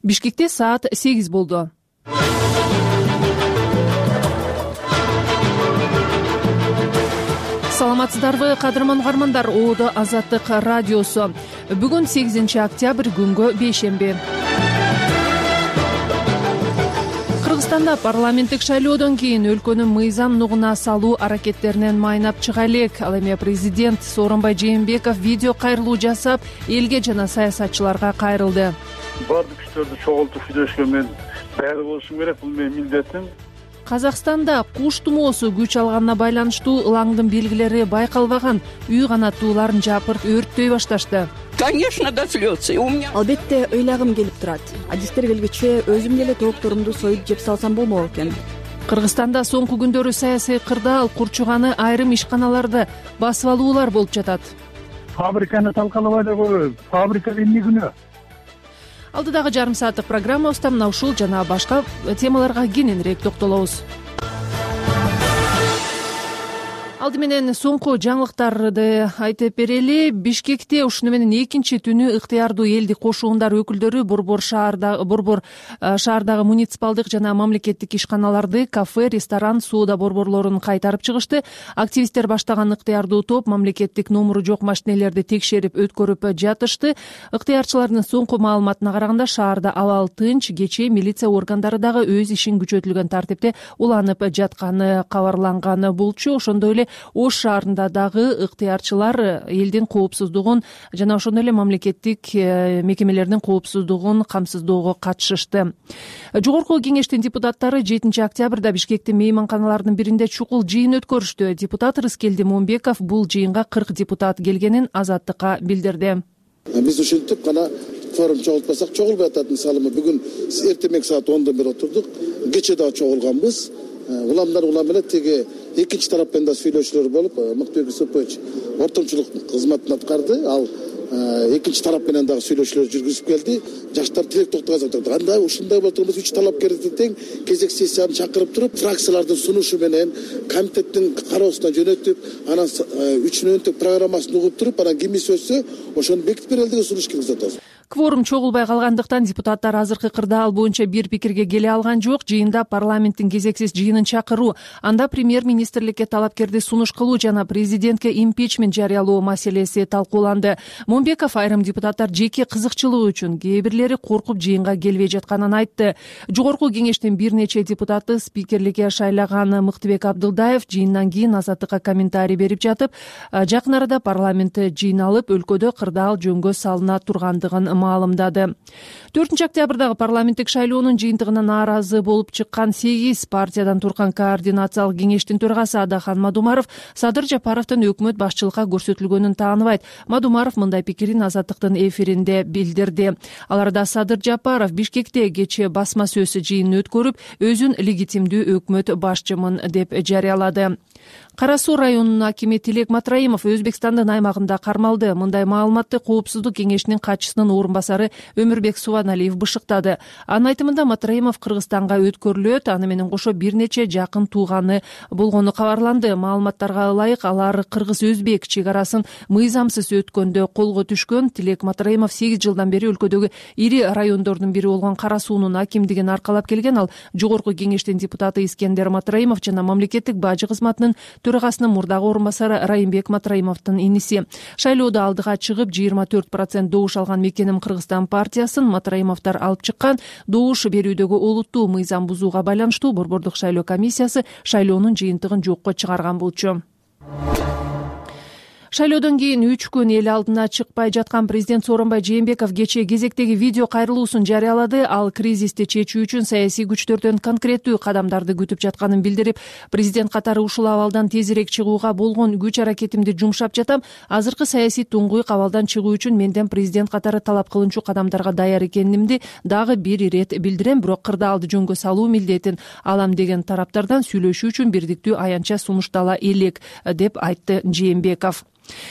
Бишкекте саат 8 болду. Саламатсыздарбы, кадырман угармандар. Оодо Азаттык радиосу. Бүгүн 8-октябрь күнгө бейшемби. Кыргызстанда парламенттик шайлоодон кийин өлкөнүн мыйзам нугуна салуу аракеттеринен майнап чыга элек. Ал эми президент Сооронбай Жээнбеков видео кайрылуу жасап, элге жана саясатчыларга кайрылды. Бардык күчтөрдү чогултуп сүйлөшкөн мен даярдык болушум керек, бул менин милдетим. Казакстанда куш тумоосу күч алганына байланыштуу ылаңдын белгилери байкалбаган. Үй канаттууларын жапырт өрттөй башташты. Конечно, до слез. Албетте ыйлагым келип турат. Адистер келгиче өзүм деле тоокторумду союп жеп салсам болмок экен. Кыргызстанда соңку күндөрү саясий кырдаал курчуганы айрым ишканаларды басып алуулар болуп жатат. Фабриканы талкалабай да коебуз. Фабрика эмне күнөө? Алдыдагы жарым сааттык программабызда мына ушул жана башка темаларга кененирээк токтолобуз. Алды менен соңку жаңылыктарды айтып берели. Бишкекте ушуну менен экинчи түнү ыктыярдуу элдик кошуундар өкүлдөрү Борбор шаардагы муниципалдык жана мамлекеттик ишканаларды, кафе, ресторан, соода борборлорун кайтарып чыгышты. Активисттер баштаган ыктыярдуу топ мамлекеттик номуру жок машинелерди текшерип өткөрүп жатышты. Ыктыярчылардын соңку маалыматына караганда шаарда абал тынч, кечээ милиция органдары дагы өз ишин күчөтүлгөн тартипте уланып жатканы кабарланган болчу. Ошондой эле Ош шаарында дагы ыктыярчылар элдин коопсуздугун жана ошондой эле мамлекеттик мекемелердин коопсуздугун камсыздоого катышышты. Жогорку кеңештин депутаттары 7-октябрда Бишкектин мейманканаларынын биринде чукул жыйын өткөрүштү. Депутат Рыскелди Момбеков бул жыйынга 40 депутат келгенин Азаттыкка билдирди. Биз ушинтип гана форум чогултпасак чогулбай атат. Мисалы бүгүн эртең саат 10-дон бери отурдук. Кечээ дагы чогулганбыз. Уламдар улам эле тиги экинчи тараппен да сүйлөшүүлөр болуп, Мыктыбек Исупович ортомчулук кызматын аткарды. Ал экинчи тарап менен дагы сүйлөшүүлөр жүргүзүп келди. Жаштар тилек токтогон айтты. Андай ушундай болуп турбуз, 3 талапкерди тең кезек сессияны чакырып туруп, фракциялардын сунушу менен комитеттин кароосуна жөнөтүп, анан 3 өнөктүк программасын угуп туруп, анан ким сөзсө ошону бекитип берели деген сунуш киргизип атабыз. Кворум чогулбай калгандыктан депутаттар азыркы кырдаал боюнча бир пикирге келе алган жок. Жыйында парламенттин кезексиз жыйынын чакыруу, анда премьер-министрликке талапкерди сунуш кылуу жана президентке импичмент жарыялоо маселеси талкууланды. Момбеков айрым депутаттар жеке кызыкчылыгы үчүн, кээ бирлери коркуп жыйынга келбей жатканын айтты. Жогорку кеңештин бир нече депутаты спикерликке шайлаган Мыктыбек Абдылдаев жыйындан кийин Азаттыкка комментарий берип жатып, жакын арада парламент жыйналып, өлкөдө кырдаал жөнгө салына тургандыгын маалымдады. 4-октябрдагы парламенттик шайлоонун жыйынтыгына нааразы болуп чыккан 8 партиядан турган координациялык кеңештин төрагасы Адахан Мадумаров Садыр Жапаровдун өкмөт башчылыкка көрсөтүлгөнүн тааныбайт. Мадумаров мындай пикирин Азаттыктын эфиринде билдирди. Аларда Садыр Жапаров Бишкекте кечээ басма сөз жыйынын өткөрүп, өзүн легитимдүү өкмөт башчымын деп жарыялады. Кара Суу районунун акими Тилек Матраимов Өзбекстандын аймагында кармалды. Мындай маалыматты Коопсуздук кеңешинин катчысынын орун басары Өмүрбек Субаналиев бышыктады. Анын айтымында Матраимов Кыргызстанга өткөрүлөт, аны менен кошо бир нече жакын тууганы болгону кабарланды. Маалыматтарга ылайык, алар кыргыз-өзбек чек арасын мыйзамсыз өткөндө колго түшкөн. Тилек Матраимов 8 жылдан бери өлкөдөгү ири райондордун бири болгон Кара Суунун акимдигин аркалап келген. Ал жогорку кеңештин депутаты Искендер Матраимов жана мамлекеттик бажы кызматынын төрагасынын мурдагы орун басары Райымбек Матраимовдун иниси. Шайлоодо алдыга чыгып 24% добуш алган Мекеним Кыргызстан партиясын Матраимовдор алып чыккан. Добуш берүүдөгү олуттуу мыйзам бузууга байланыштуу Борбордук шайлоо комиссиясы шайлоонун жыйынтыгын жокко чыгарган болчу. Шайлоодон кийин 3 күн эл алдына чыкпай жаткан президент Сооронбай Жээнбеков кечээ кезектеги видео кайрылуусун жарыялады. Ал кризисти чечүү үчүн саясий күчтөрдөн конкреттүү кадамдарды күтүп жатканын билдирип, президент катары ушул абалдан тезирээк чыгууга болгон күч аракетимди жумшап жатам. Азыркы саясий туңгуйк абалдан чыгуу үчүн менден президент катары талап кылынчу кадамдарга даяр экенимди дагы бир ирет билдирем, бирок кырдаалды жөнгө салуу милдетин алам деген тараптардан сүйлөшүү үчүн бирдиктүү аянтча сунуштала элек, деп айтты Жээнбеков.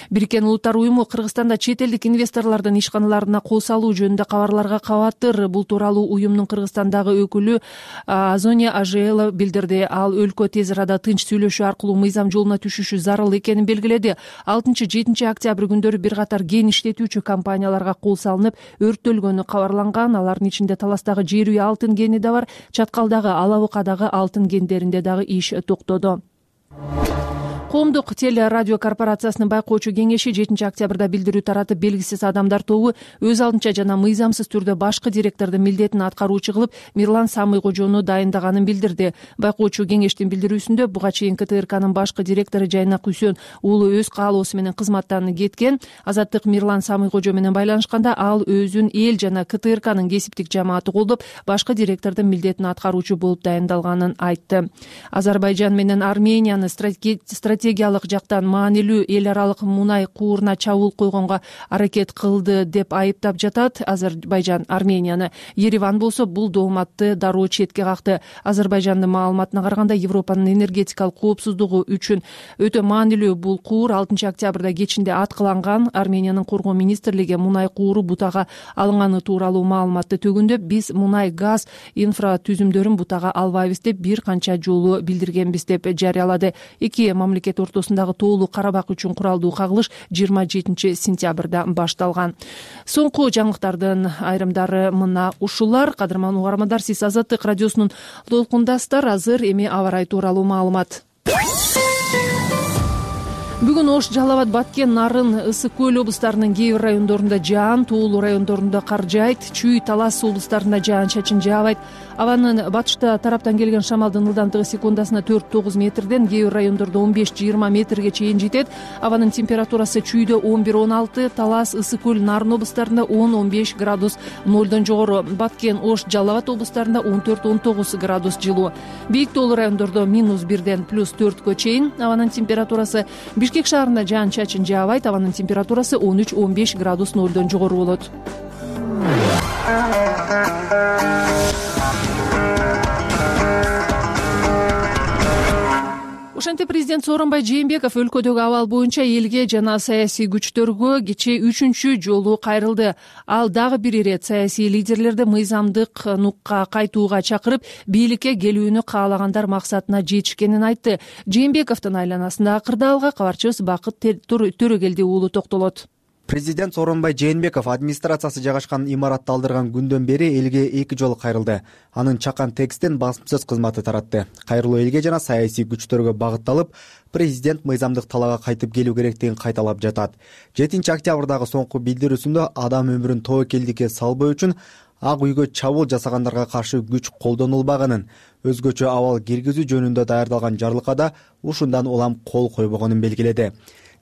Бириккен Улуттар уюму Кыргызстанда чет элдик инвесторлордун ишканаларына кол салуу жөнүндө кабарларга кабаттыр. Бул тууралуу уюмдун Кыргызстандагы өкүлү Азония Ажела билдирди. Ал өлкө тез арада тынч сүйлөшүү аркылуу мыйзам жолуна түшүшү зарыл экенин белгиледи. 6-7 октябрь күндөрү бир катар кен иштетүүчү компанияларга кол салынып, өрттөлгөнү кабарланган. Алардын ичинде Таластагы жер үй алтын кени да бар. Чаткалдагы Алабыкадагы алтын кендеринде дагы иш токтоду. Коомдук теле радио корпорациясынын байкоочу кеңеши 7 октябрда билдирүү таратып, белгисиз адамдар тобу өз алдынча жана мыйзамсыз түрдө башкы директордун милдетин аткаруучу кылып Мирлан Самыйкожону дайындаганын билдирди. Байкоочу кеңештин билдирүүсүндө буга чейин КТРКнын башкы директору Жайнак Үсөн уулу өз каалоосу менен кызматтан кеткен. Азаттык Мирлан Самыйкожо менен байланышканда ал өзүн эл жана КТРКнын кесиптик жамааты колдоп, башкы директордун милдетин аткаруучу болуп дайындалганын айтты. Азербайжан менен Арменияны стратегиялык жактан маанилүү эл аралык мунай кууруна чабуул койгонго аракет кылды деп айыптап жатат Азербайжан Арменияны. Ереван болсо бул дооматты дароо четке какты. Азербайжандын маалыматына караганда, Европанын энергетикалык коопсуздугу үчүн өтө маанилүү бул куур 6 октябрда кечинде аткыланган. Армениянын коргоо министрлиги мунай кууру бутага алынганы тууралуу маалыматты төгүндөп, биз мунай газ инфратүзүмдөрүн бутага албайбыз деп бир канча жолу билдиргенбиз деп жарыялады. Эки мамлекет ортосундагы тоолуу Карабак үчүн куралдуу кагылыш 27 сентябрда башталган. Соңку жаңылыктардын айрымдары мына ушулар. Кадырман угармандар, сиз Азаттык радиосунун толкундасыздар. Азыр эми аба ырайы тууралуу маалымат. Бүгүн Ош, Жалал Абад, Баткен, Нарын, Ысык Көл облустарынын кээ бир райондорунда жаан, тоолуу райондорунда кар жаайт. Чүй, Талас облустарында жаан-чачын жаабайт. Абанын батышта тараптан келген шамалдын ылдамдыгы секундасына 4-9 метрден, кээ бир райондордо 15-20 метрге чейин жетет. Абанын температурасы Чүйдө 11-16, Талас, Ысык Көл, Нарын облустарында 10-15 градус нолдон жогору. Баткен, Ош, Жалал Абад облустарында 14-19 градус жылуу. Бийик тоолуу райондордо -1ден +4кө чейин. Абанын температурасы Бишкек шаарында жаан-чачын жаабайт. Абанын температурасы 13-15 градус нолдон жогору болот. Ошентип президент Сооронбай Жээнбеков өлкөдөгү абал боюнча элге жана саясий күчтөргө кечээ 3-чү жолу кайрылды. Ал дагы бир ирет саясий лидерлерди мыйзамдык нукка кайтууга чакырып, бийликке келүүнү каалагандар максатына жетишкенин айтты. Жээнбековдун айланасындагы кырдаалга кабарчыбыз Бакыт Төрөгелди уулу токтолот. Президент Сооронбай Жээнбеков администрациясы жайгашкан имаратты алдырган күндөн бери элге 2 жолу кайрылды. Анын чакан текстин басымсыз кызматы таратты. Кайрылуу элге жана саясий күчтөргө багытталып, президент мыйзамдык талаага кайтып келүү керектигин кайталап жатат. 7 октябрдагы соңку билдирүүсүндө адам өмүрүн тобокелдикке салбоо үчүн Ак үйгө чабуул жасагандарга каршы күч колдонулбаганын, өзгөчө абал киргизүү жөнүндө даярдалган жарлыкка ушундан улам кол койбогонун белгиледи.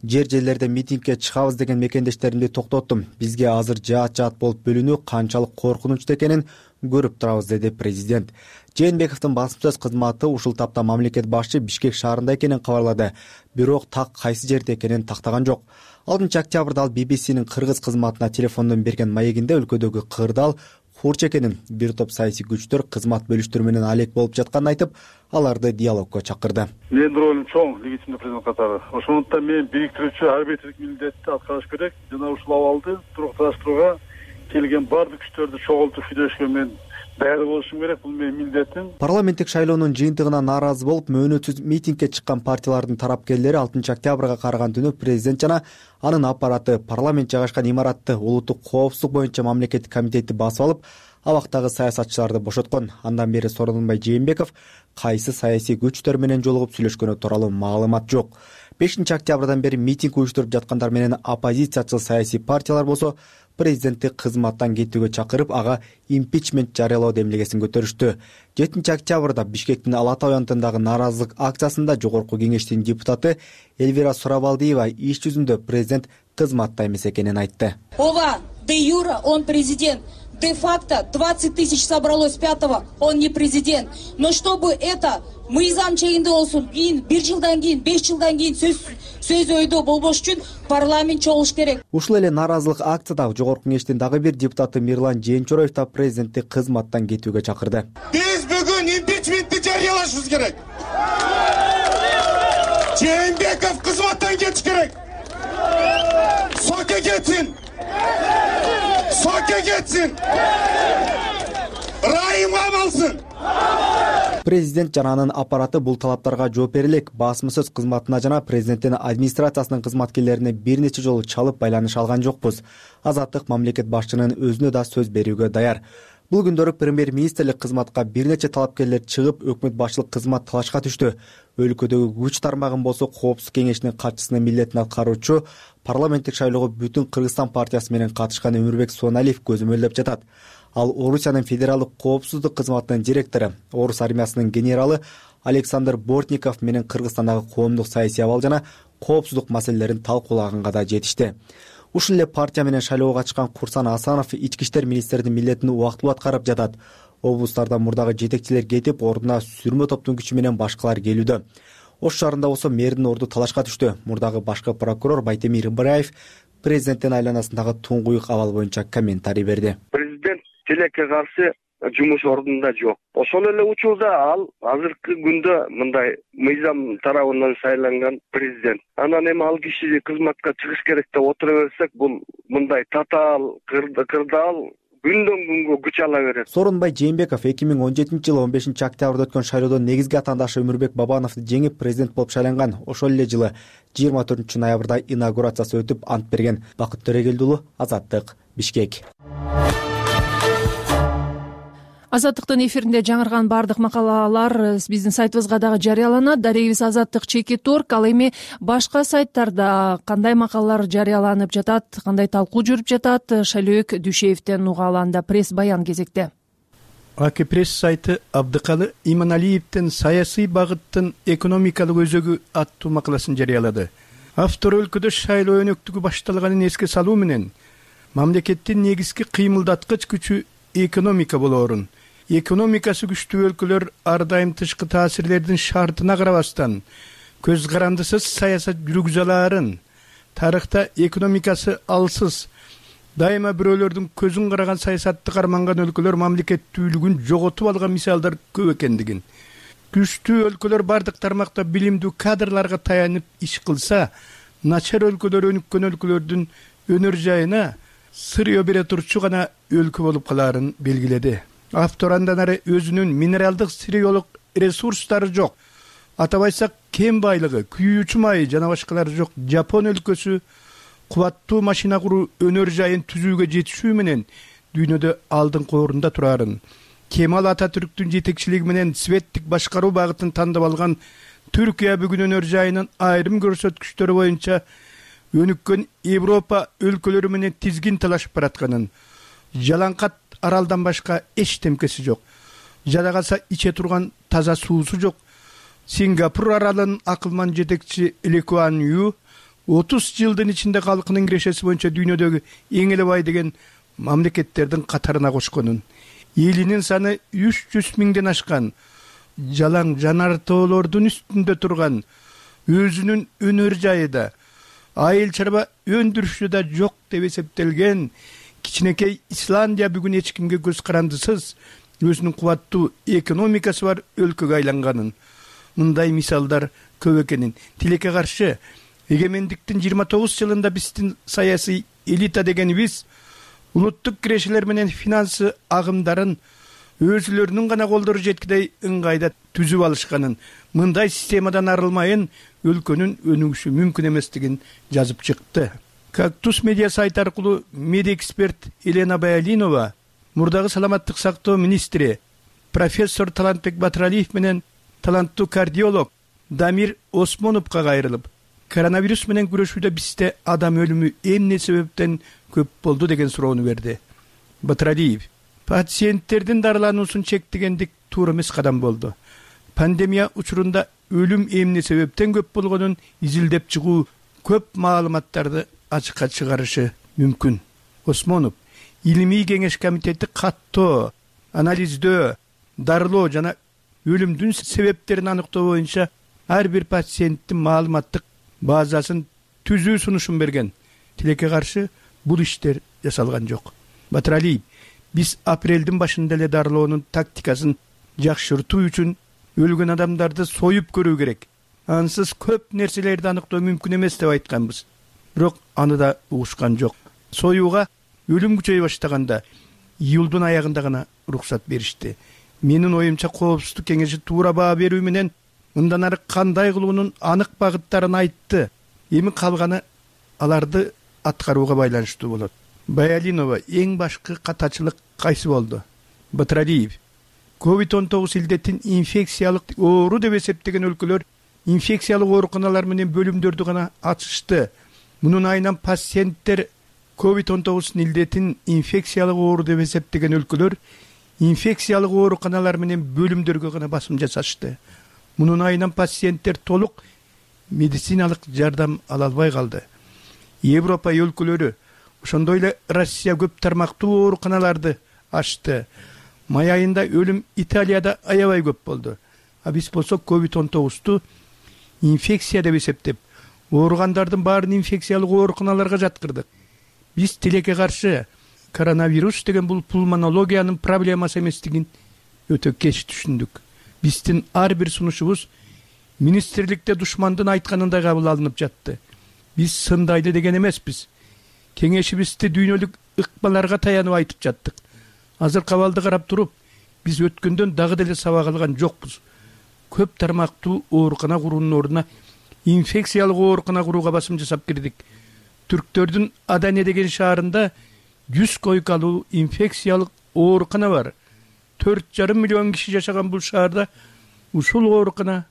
Жерлерде митингге чыгабыз деген мекендештеримди токтоттум. Бизге азыр жаат болуп бөлүнүү канчалык коркунучтуу экенин көрүп турабыз, деди президент. Жээнбековдун басымсыз кызматы ушул тапта мамлекет башчы Бишкек шаарында экенин кабарлады. Бирок так кайсы жерде экенин тактаган жок. 6 октябрда ал BBC'нин кыргыз кызматына телефондон берген маегинде өлкөдөгү кырдаал хурч экенин, бир топ саясий күчтөр кызмат бөлүштөрү менен алек болуп жатканын айтып, аларды диалогко чакырды. Менин ролум чоң, легитимдүү президент катары. Ошондуктан мен бириктирүүчү арбитрлик милдетти аткарыш керек. Жана ушул абалды турукташтырууга келген бардык күчтөрдү чогултуп сүйлөшкө мен даяр болушум керек. Бул менин милдетим. Парламенттик шайлоонун жыйынтыгына нааразы болуп, мөөнөтсүз митингге чыккан партиялардын тарапкерлери 6 октябрга караган түнү президент жана анын аппараты парламент жайгашкан имаратты улуттук коопсуздук боюнча мамлекеттик комитетти басып алып, абактагы саясатчыларды бошоткон. Андан бери Сооронбай Жээнбеков кайсы саясий күчтөр менен жолугуп сүйлөшкөнү тууралуу маалымат жок. 5 октябрдан бери митинг уюштуруп жаткандар менен оппозициячыл саясий партиялар болсо президентти кызматтан кетүүгө чакырып, ага импичмент жарыялоо демилгесин көтөрүштү. 7 октябрда Бишкектин Ала Тау аянтындагы нааразылык акциясында Жогорку кеңештин депутаты Эльвира Сурабалдиева иш жүзүндө президент кызматта эмес экенин айтты. Ова, де юра, он президент. Де-факто 20 тысяч собралось 5-го, он не президент. Но чтобы это мыйзам чегинде болсун, кийин 1 жылдан кийин, 5 жылдан кийин сөз ойдо болбош үчүн парламент чогулуш керек. Ушул эле нааразылык акцияда Жогорку кеңештин дагы бир депутаты Мирлан Жээнчороев да президентти кызматтан кетүүгө чакырды. Биз бүгүн импичментти жарыялашыбыз керек. Жээнбеков кызматтан кетиш керек. Соке кетсин. Соке кетсин. Райым камалсын. Президент жана анын аппараты бул талаптарга жооп бере элек. Басма сөз кызматына жана президенттин администрациясынын кызматкерлерине бир нече жолу чалып байланыш алган жокпуз. Азаттык мамлекет башчынын өзүнө да сөз берүүгө даяр. Бул күндөрү премьер-министрлик кызматка бир нече талапкерлер чыгып, өкмөт башчылык кызмат талашка түштү. Өлкөдөгү күч тармагын болсо Коопсуздук кеңешинин катчысынын милдетин аткаруучу парламенттик шайлоого Бүтүн Кыргызстан партиясы менен катышкан Өмүрбек Соналиев көзөмөлдөп жатат. Ал Орусиянын федералдык коопсуздук кызматынын директору, Орус армиясынын генералы Александр Бортников менен Кыргызстандагы коомдук саясий абал жана коопсуздук маселелерин талкуулаганга да жетишти. Ушул эле партия менен шайлоого катышкан Курсан Асанов ички иштер министринин милдетин убактылуу аткарып жатат. Облустардан мурдагы жетекчилер кетип, ордуна сүрмө топтун күчү менен башкалар келүүдө. Ош шаарында болсо мэрдин орду талашка түштү. Мурдагы башкы прокурор Байтемир Ибраев президенттин айланасындагы туңгуюк абал боюнча комментарий берди. Президент тилекке каршы жумуш ордунда жок. Ошол эле учурда ал азыркы күндө мындай мыйзам тарабынан шайланган президент. Анан эми ал киши кызматка чыгыш керек деп отура берсек, бул мындай татаал, кырдаал күндөн күнгө күч ала берет. Сооронбай Жээнбеков 2017-жылы 15-октябрда өткөн шайлоодо негизги атаандашы Өмүрбек Бабановду жеңип президент болуп шайланган. Ошол эле жылы 24-ноябрда инаугурациясы өтүп ант берген. Бакыт Төрөгелди уулу, Азаттык, Бишкек. Азаттыктын эфиринде жаңырган баардык макалалар биздин сайтыбызга дагы жарыяланат. Дарегибиз Азаттык.org. Ал эми башка сайттарда кандай макалалар жарыяланып жатат, кандай талкуу жүрүп жатат, Шайлөөк Дүйшеевден угалы. Анда пресс баян кезекте. АК пресс сайты Абдыкалы Иманалиевдин саясий багыттын экономикалык өзөгү аттуу макаласын жарыялады. Автор өлкөдө шайлоо өнөктүгү башталганын эске салуу менен мамлекеттин негизги кыймылдаткыч күчү экономика болоорун, экономикасы күчтүү өлкөлөр ар дайым тышкы таасирлердин шартына карабастан көз карандысыз саясат жүргүзө алаарын, тарыхта экономикасы алсыз, дайыма бирөөлөрдүн көзүн караган саясатты карманган өлкөлөр мамлекеттүүлүгүн жоготуп алган мисалдар көп экендигин, күчтүү өлкөлөр бардык тармакта билимдүү кадрларга таянып иш кылса, начар өлкөлөр өнүккөн өлкөлөрдүн өнөр жайына сырыё бере турчу гана өлкө болуп калаарын белгиледи. Автор андан ары өзүнүн минералдык сырыёлук ресурстары жок, атап айтсак кен байлыгы, күйүүчү майы жана башкалары жок Жапон өлкөсү кубаттуу машина куруу өнөр жайын түзүүгө жетишүү менен дүйнөдө алдыңкы орунда турарын, Кемал Ататүрктүн жетекчилиги менен светтик башкаруу багытын тандап алган Түркия бүгүн өнөр жайынын айрым көрсөткүчтөрү боюнча өнүккөн Европа өлкөлөрү менен тизгин талашып баратканын, жалаңкат аралдан башка эчтемкеси жок, жада калса иче турган таза суусу жок, Сингапур аралынын акылман жетекчи Ли Куан Ю 30 жылдын ичинде калкынын кирешеси боюнча дүйнөдөгү эң эле бай деген мамлекеттердин катарына кошконун, элинин саны 300 миңден ашкан, жалаң жанар тоолордун үстүндө турган, өзүнүн өнөр жайы да, айыл чарба өндүрүшү да жок деп эсептелген кичинекей Исландия бүгүн эч кимге көз карандысыз өзүнүн кубаттуу экономикасы бар өлкөгө айланганын, мындай мисалдар көп экенин, тилекке каршы эгемендиктин 29 жылында биздин саясий элита дегенибиз улуттук кирешелер менен финансы агымдарын өзүлөрүнүн гана колдору жеткидей ыңгайда түзүп алышканын, мындай системадан арылмайын өлкөнүн өнүгүшү мүмкүн эместигин жазып чыкты. Кактус медиа сайты аркылуу медэксперт Елена Баялинова мурдагы саламаттык сактоо министри профессор Талантбек Батыралиев менен таланттуу кардиолог Дамир Осмоновго кайрылып, коронавирус менен күрөшүүдө бизде адам өлүмү эмне себептен көп болду деген суроону берди. Батыралиев: пациенттердин дарылануусун чектегендик туура эмес кадам болду. Пандемия учурунда өлүм эмне себептен көп болгонун изилдеп чыгуу көп маалыматтарды ачыкка чыгарышы мүмкүн. Осмонов: илимий кеңеш комитети каттоо, анализдөө, дарылоо жана өлүмдүн себептерин аныктоо боюнча ар бир пациенттин маалыматтык базасын түзүү сунушун берген. Тилекке каршы бул иштер жасалган жок. Батыралиев: биз апрелдин башында эле дарылоонун тактикасын жакшыртуу үчүн өлгөн адамдарды союп көрүү керек. Ансыз көп нерселерди аныктоо мүмкүн эмес деп айтканбыз. бирок аны да угушкан жок. Союуга өлүм күчөй баштаганда июлдун аягында гана уруксат беришти. Менин оюмча Коопсуздук кеңеши туура баа берүү менен мындан ары кандай кылуунун анык багыттарын айтты. Эми калганы аларды аткарууга байланыштуу болот. Баялинова эң башкы катачылык кайсы болду? Батыралиев COVID-19 илдеттин инфекциялык оору деп эсептеген өлкөлөр инфекциялык ооруканалар менен бөлүмдөрдү гана ачышты. Мунун айынан пациенттер COVID-19 илдеттин инфекциялык оору деп эсептеген өлкөлөр инфекциялык ооруканалар менен бөлүмдөргө гана басым жасашты. Мунун айынан пациенттер толук медициналык жардам ала албай калды. Европа өлкөлөрү, ошондой эле Россия көп тармактуу ооруканаларды ачты. Май айында өлүм Италияда аябай көп болду. А биз болсо COVID-19-ту инфекция деп эсептеп, ооругандардын баарын инфекциялык ооруканаларга жаткырдык. Биз тилекке каршы коронавирус деген бул пулмонологиянын проблемасы эместигин өтө кеч түшүндүк. Биздин ар бир сунушубуз министрликте душмандын айтканындай кабыл алынып жатты. Биз сындайды деген эмеспиз. Кеңешибизди дүйнөлүк ыкмаларга таянып айтып жаттык. Азыр кабалды карап туруп, биз өткөндөн дагы деле сабак алган жокпуз. Көп тармактуу оорукана куруунун ордуна инфекциялык оорукана курууга басым жасап кирдик. Түрктөрдүн Адане деген шаарында 100 койкалуу инфекциялык оорукана бар. 4,5 миллион киши жашаган бул шаарда ушул оорукана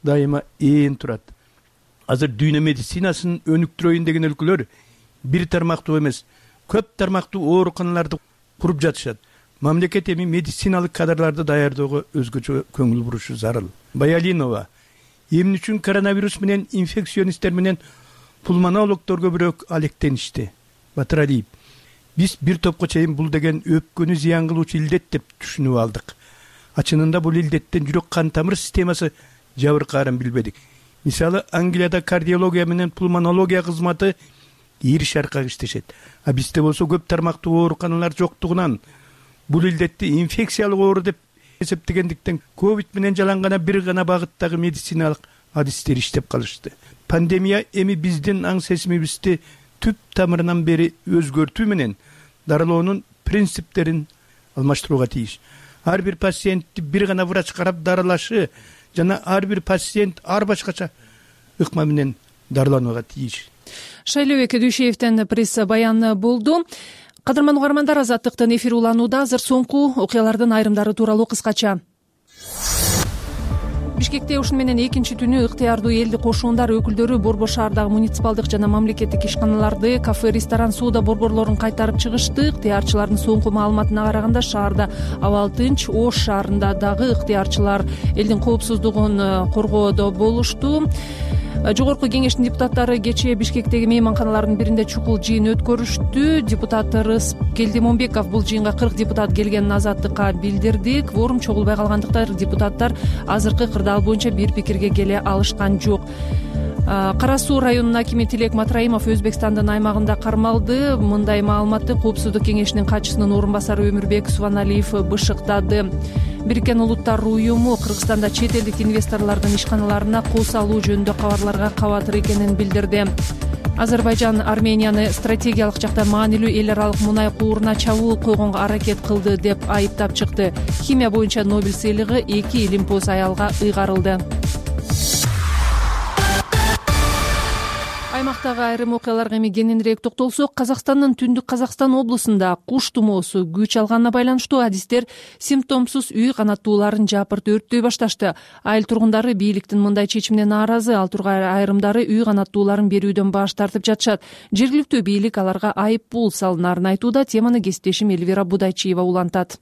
дайыма ээн турат. Азыр дүйнө медицинасынын өнүктүрөйүн деген өлкөлөр бир тармактуу эмес, көп тармактуу ооруканаларды куруп жатышат. Мамлекет эми медициналык кадрларды даярдоого өзгөчө көңүл бурушу зарыл. Баялинова эмне үчүн коронавирус менен инфекционисттер менен пулмонологдор көбүрөөк алектеништи? Батыралиев биз бир топко чейин бул деген өпкөнү зыян кылуучу илдет деп түшүнүп алдык. Чынында бул илдеттен жүрөк кан тамыр системасы жабыркаарын билбедик. Мисалы, Англияда кардиология менен пулмонология кызматы ир шаркак иштешет. А бизде болсо көп тармактуу ооруканалар жоктугунан бул илдетти инфекциялык оору деп эсептегендиктен ковид менен жалаң бир гана багыттагы медициналык адистер иштеп калышты. Пандемия эми биздин аң сезимибизди түп тамырынан бери өзгөртүү менен дарылоонун принциптерин алмаштырууга тийиш. Ар бир пациентти бир гана врач карап дарылашы жана ар бир пациент ар башкача ыкма менен дарыланууга тийиш. Шайлообек Дүйшеевден пресс баян болду. Кадырман угармандар, Азаттыктын эфири уланууда. Азыр соңку окуялардын айрымдары тууралуу кыскача. Бишкекте ушун менен экинчи түнү ыктыярдуу элди кошундар өкүлдөрү Борбор шаардагы муниципалдык жана мамлекеттик ишканаларды, кафе, ресторан, соода борборлорун кайтарып чыгышты. Ыктыярчылардын соңку маалыматына караганда шаарда абал тынч. Ош шаарында дагы ыктыярчылар элдин коопсуздугун коргоодо болушту. Жогорку кеңештин депутаттары кечээ Бишкектеги мейманканалардын биринде чукул жыйын өткөрүштү. Депутат Рыс Келдимонбеков бул жыйынга 40 депутат келгенин Азаттыкка билдирди. Кворум чогулбай калгандыктан депутаттар азыркы кырдаал боюнча бир пикирге келе алышкан жок. Кара Суу районунун акими Тилек Матраимов Өзбекстандын аймагында кармалды. Мындай маалыматты Коопсуздук кеңешинин катчысынын орун басары Өмүрбек Субаналиев бышыктады. Бириккен Улуттар уюму Кыргызстанда чет элдик инвесторлордун ишканаларына кол салуу жөнүндө кабарларга кабатыр экенин билдирди. Азербайжан Арменияны стратегиялык жактан маанилүү эл аралык мунай кууруна чабуул койгонго аракет кылды деп айыптап чыкты. Химия боюнча Нобель сыйлыгы 2 илимпоз аялга ыйгарылды. Аймактагы айрым окуяларга эми кененирээк токтолсок, Казакстандын Түндүк Казакстан облусунда куш тумоосу күч алганына байланыштуу адистер симптомсуз үй канаттууларын жапырт өрттөй башташты. Айыл тургундары бийликтин мындай чечимине нааразы, ал тургай айрымдары үй канаттууларын берүүдөн баш тартып жатышат. Жергиликтүү бийлик аларга айып пул салынарын айтууда. Теманы кесиптешим Элвира Будайчиева улантат.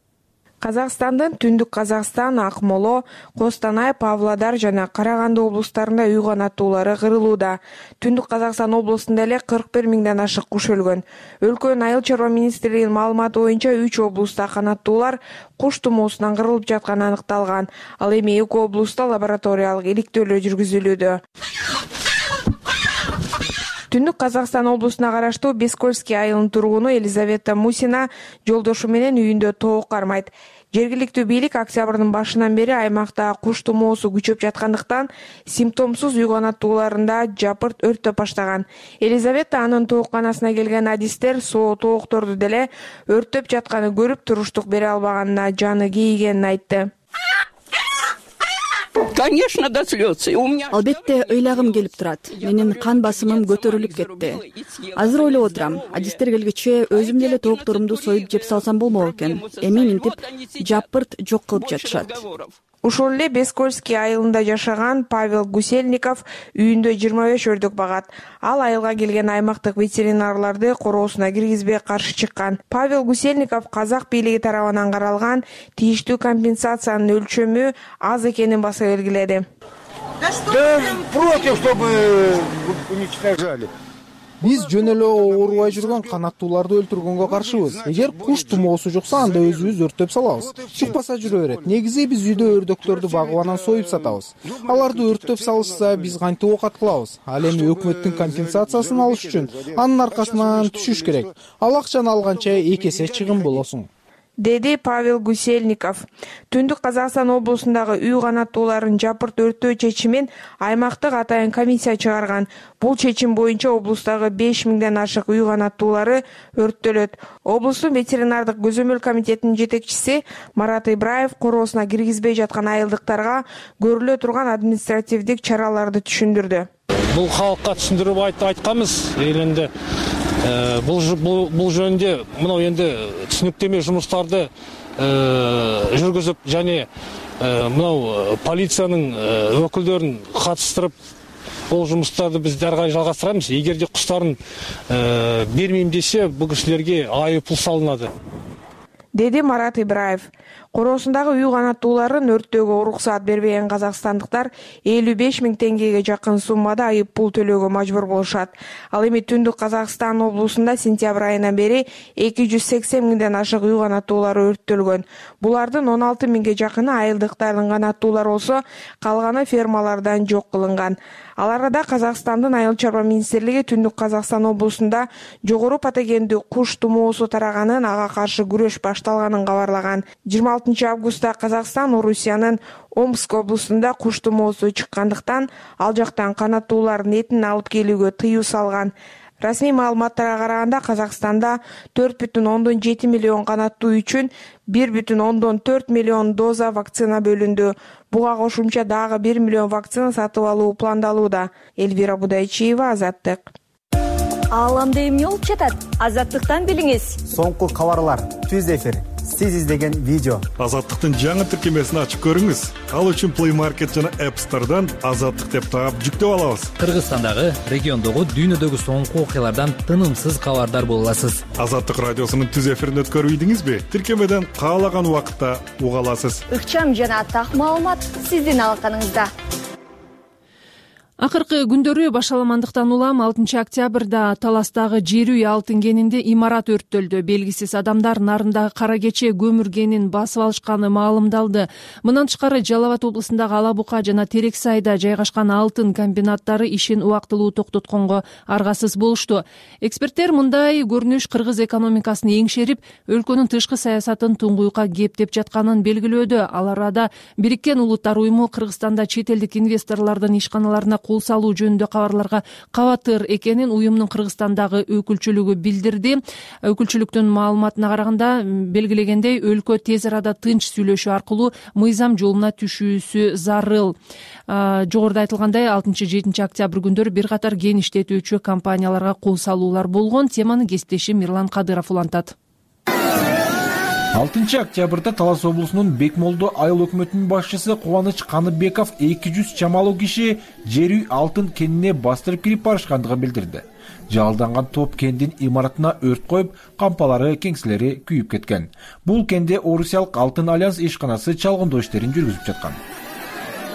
Казакстандын Түндүк Казакстан, Акмола, Костанай, Павлодар жана Караганды облустарында үй канаттуулары кырылууда. Түндүк Казакстан облусунда эле 41 миңден ашык куш өлгөн. Өлкөнүн айыл чарба министрлигинин маалыматы боюнча 3 облуста канаттуулар куш тумоосунан кырылып жатканы аныкталган. Ал эми 2 облуста лабораториялык иликтөөлөр жүргүзүлүүдө. Түндүк Казакстан облусуна караштуу Бескольский айылынын тургуну Елизавета Мусина жолдошу менен үйүндө тоок кармайт. Жергиликтүү бийлик октябрдын башынан бери аймакта куш тумоосу күчөп жаткандыктан симптомсуз уйгунатууларында жапырт өрттөп баштаган. Елизавета анын тоокканасына келген адистер соо тоокторду деле өрттөп жатканын көрүп туруштук бере албаганына жаны кейигенин айтты. Конечно, до слез. Албетте ыйлагым келип турат. Менин кан басымым көтөрүлүп кетти. Азыр ойлоп отурам, адистер келгиче өзүм деле тоокторумду союп жеп салсам болмок экен. Эми минтип жапырт жок кылып жатышат. Ошол эле Бескольский айылында жашаган Павел Гусельников үйүндө 25 өрдүк багат. Ал айылга келген аймактык ветеринарларды короосуна киргизбей каршы чыккан. Павел Гусельников казак бийлиги тарабынан каралган тийиштүү компенсациянын өлчөмү аз экенин баса белгиледи. Против, чтобы уничтожали. Биз жөн эле оорубай жүргөн канаттууларды өлтүргөнгө каршыбыз. Эгер куш тумоосу жукса, анда өзүбүз өрттөп салабыз. Чыкпаса жүрө берет. Негизи биз үйдө өрдөктөрдү багып анан союп сатабыз. Аларды өрттөп салышса, биз кантип оокат кылабыз? Ал эми өкмөттүн компенсациясын алыш үчүн анын аркасынан түшүш керек. Ал акчаны алганча 2 эсе чыгым болосуң, деди Павел Гусельников. Түндүк Казакстан облусундагы үй канаттууларын жапырт өрттөө чечимин аймактык атайын комиссия чыгарган. Бул чечим боюнча облустагы 5000ден ашык үй канаттуулары өрттөлөт. Облустун ветеринардык көзөмөл комитетинин жетекчиси Марат Ибраев короосуна киргизбей жаткан айылдыктарга көрүлө турган административдик чараларды түшүндүрдү. Бул халыкка түшүндүрүп айтканбыз. Элинде бул жөнүндө мына энди түшүнүктөмө жумуштарды жүргүзүп жана мына полициянын өкүлдөрүн катыштырып бул жумуштарды биз дары карай жалгастырабыз. Эгерде куштарын бермейм десе, бул кишилерге айыппул салынады, деди Марат Ибраев. Короосундагы үй канаттууларын өрттөөгө уруксаат бербеген казакстандыктар 55 000 теңгеге жакын суммада айып пул төлөөгө мажбур болушат. Ал эми Түндүк Казакстан облусунда сентябрь айынан бери 280 000ден ашык үй канаттуулары өрттөлгөн. Булардын 16 000ге жакыны айылдыктардын канаттуулары болсо, калганы фермалардан жок кылынган. Ал арада Казакстандын Айыл чарба министрлиги Түндүк Казакстан облусунда жогору патогендүү куш тумоосу тараганын, ага каршы күрөш башталганын кабарлаган. 26 августта Казакстан Орусиянын Омск облусунда куш тумоосу чыккандыктан ал жактан канаттуулардын этин алып келүүгө тыюу салган. Расмий маалыматтарга караганда Казакстанда 4,7 миллион канаттуу үчүн 1,4 миллион доза вакцина бөлүндү. Буга кошумча дагы 1 миллион вакцина сатып алуу пландалууда. Эльвира Будайчиева, Азаттык. Ааламда эмне болуп жатат? Азаттыктан билиңиз. Соңку кабарлар, түз эфир, сиз издеген видео. Азаттыктын жаңы тиркемесин ачып көрүңүз. Ал үчүн Play Market жана App Store'дан Азаттык деп таап жүктөп алабыз. Кыргызстандагы, региондогу, дүйнөдөгү соңку окуялардан тынымсыз кабардар боло аласыз. Азаттык радиосунун түз эфирин өткөрүйдүңүзбү? Тиркемеден каалаган убакытта уга аласыз. Ыкчам жана так маалымат сиздин алаканыңызда. Акыркы күндөрү башаламандыктан улам 6 октябрда Таластагы жер үй алтын кенинде имарат өрттөлдү. Белгисиз адамдар нарындагы кара кече көмүр кенин басып алышканы маалымдалды. Мындан тышкары Жалал Абад облусундагы Ала Бука жана Терексайда жайгашкан алтын комбинаттары ишин убактылуу токтотконго аргасыз болушту. Эксперттер мындай көрүнүш кыргыз экономикасын эңшерип, өлкөнүн тышкы саясатын туңгуйукка кептеп жатканын белгилөөдө. Ал арада Бириккен Улуттар уюму Кыргызстанда чет элдик инвесторлордун ишканаларына кол салуу жөнүндө кабарларга кабатыр экенин уюмдун Кыргызстандагы өкүлчүлүгү билдирди. Өкүлчүлүктүн маалыматына караганда, белгилегендей, өлкө тез арада тынч сүйлөшүү аркылуу мыйзам жолуна түшүүсү зарыл. Жогоруда айтылгандай, 6-7 октябрь күндөрү бир катар кен иштетүүчү компанияларга кол салуулар болгон. Теманы кесиптешим Мирлан Кадыров улантат. 6 октябрда Талас облусунун Бекмолдо айыл өкмөтүнүн башчысы Кубаныч Каныбеков 200 чамалуу киши жер үй алтын кенине бастырып кирип барышкандыгын билдирди. Жалданган топ кендин имаратына өрт коюп, кампалары, кеңселери күйүп кеткен. Бул кенде Орусиялык Алтын Альянс ишканасы чалгындоо иштерин жүргүзүп жаткан.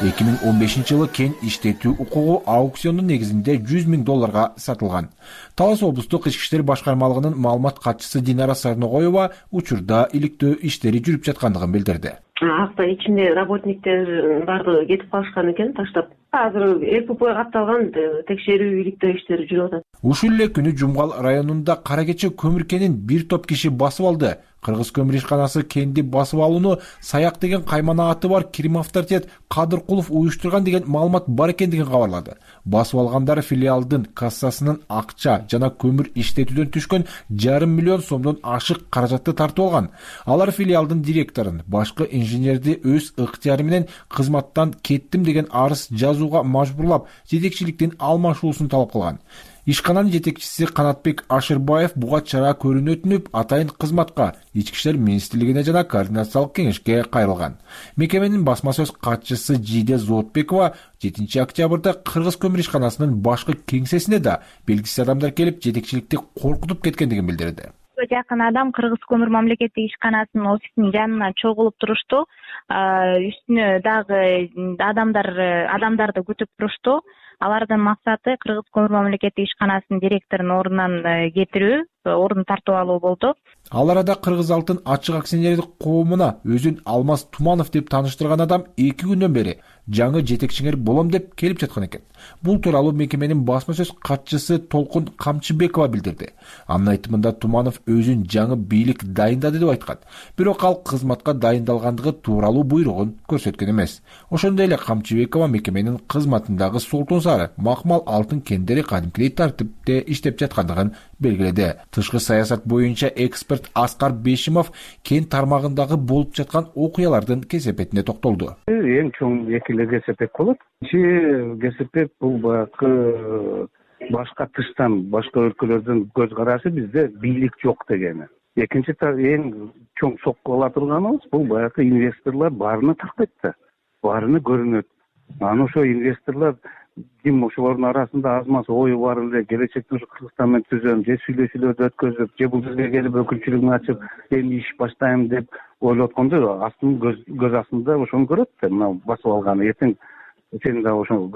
2015 жылы кен иштетүү укугу аукциондун негизинде $100 000 сатылган. Талас облустук ички иштер башкармалыгынын маалымат катчысы Динара Сарногоева учурда иликтөө иштери жүрүп жаткандыгын билдирди. акта ичинде работниктер баардыгы кетип калышкан экен, таштап. Азыр ЭПП катталган, текшерүү иликтөө иштери жүрүп атат. Ушул эле күнү Жумгал районунда Кара кече көмүр кенин бир топ киши басып алды. Кыргыз көмүр ишканасы кенди басып алууну Саяк деген каймана аты бар Кирим авторитет Кадыркулов уюштурган деген маалымат бар экендигин кабарлады. Басып алгандар филиалдын кассасынын акча жана көмүр иштетүүдөн түшкөн 5,5 миллион сомдон ашык каражатты тартып алган. Алар филиалдын директорун, башкы инженерди өз ыктыяры менен кызматтан кеттим деген арыз жазууга мажбурлап, жетекчиликтин алмашуусун талап кылган. Ишкананын жетекчиси Канатбек Ашырбаев буга чара көрүүнү өтүнүп, атайын кызматка Ички иштер министрлигине жана координациялык кеңешке кайрылган. Мекеменин басма сөз катчысы Жиде Зоотбекова 7 октябрда Кыргыз көмүр ишканасынын башкы кеңсесине да белгисиз адамдар келип, жетекчиликти коркутуп кеткендигин билдирди. Жакын адам Кыргыз көмүр мамлекеттик ишканасынын офисинин жанына чогулуп турушту. Үстүнө дагы адамдарды күтүп турушту. Алардын максаты Кыргыз көмүр мамлекеттик ишканасынын директорун ордунан кетирүү, ордун тартып алуу болду. Ал арада Кыргыз алтын ачык акционерлик коомуна өзүн Алмаз Туманов деп тааныштырган адам 2 күндөн бери жаңы жетекчиңер болом деп келип жаткан экен. Бул тууралуу мекеменин басма сөз катчысы Толкун Камчыбекова билдирди. Анын айтымында Туманов өзүн жаңы бийлик дайындады деп айткан. Бирок ал кызматка дайындалгандыгы тууралуу буйругун көрсөткөн эмес. Ошондой эле Камчыбекова мекеменин кызматындагы солтун сары макмал алтын кендери кадимкидей тартипте иштеп жаткандыгын белгиледи. Тышкы саясат боюнча эксперт Аскар Бешимов кен тармагындагы болуп жаткан окуялардын кесепетине токтолду. Эң чоң экиле кесепет болот. Кесепет бул баягы башка тыштан, башка өлкөлөрдүн көз карашы бизде бийлик жок дегени. Экинчи эң чоң сокку ала турганыбыз бул баягы инвесторлор баарына тактайт да, баарына көрүнөт. Анан ошо инвесторлор ким ошолордун арасында аз-маз ою бар эле келечекте ушу Кыргызстан менен түзөм, же сүйлөшүүлөрдү өткөзүп, же бул жерге келип өкүлчүлүгүн ачып, эми иш баштайм деп ойлоп атканда, астын көз астында ошону көрөт да, мына басып алганы эртең сен да ошо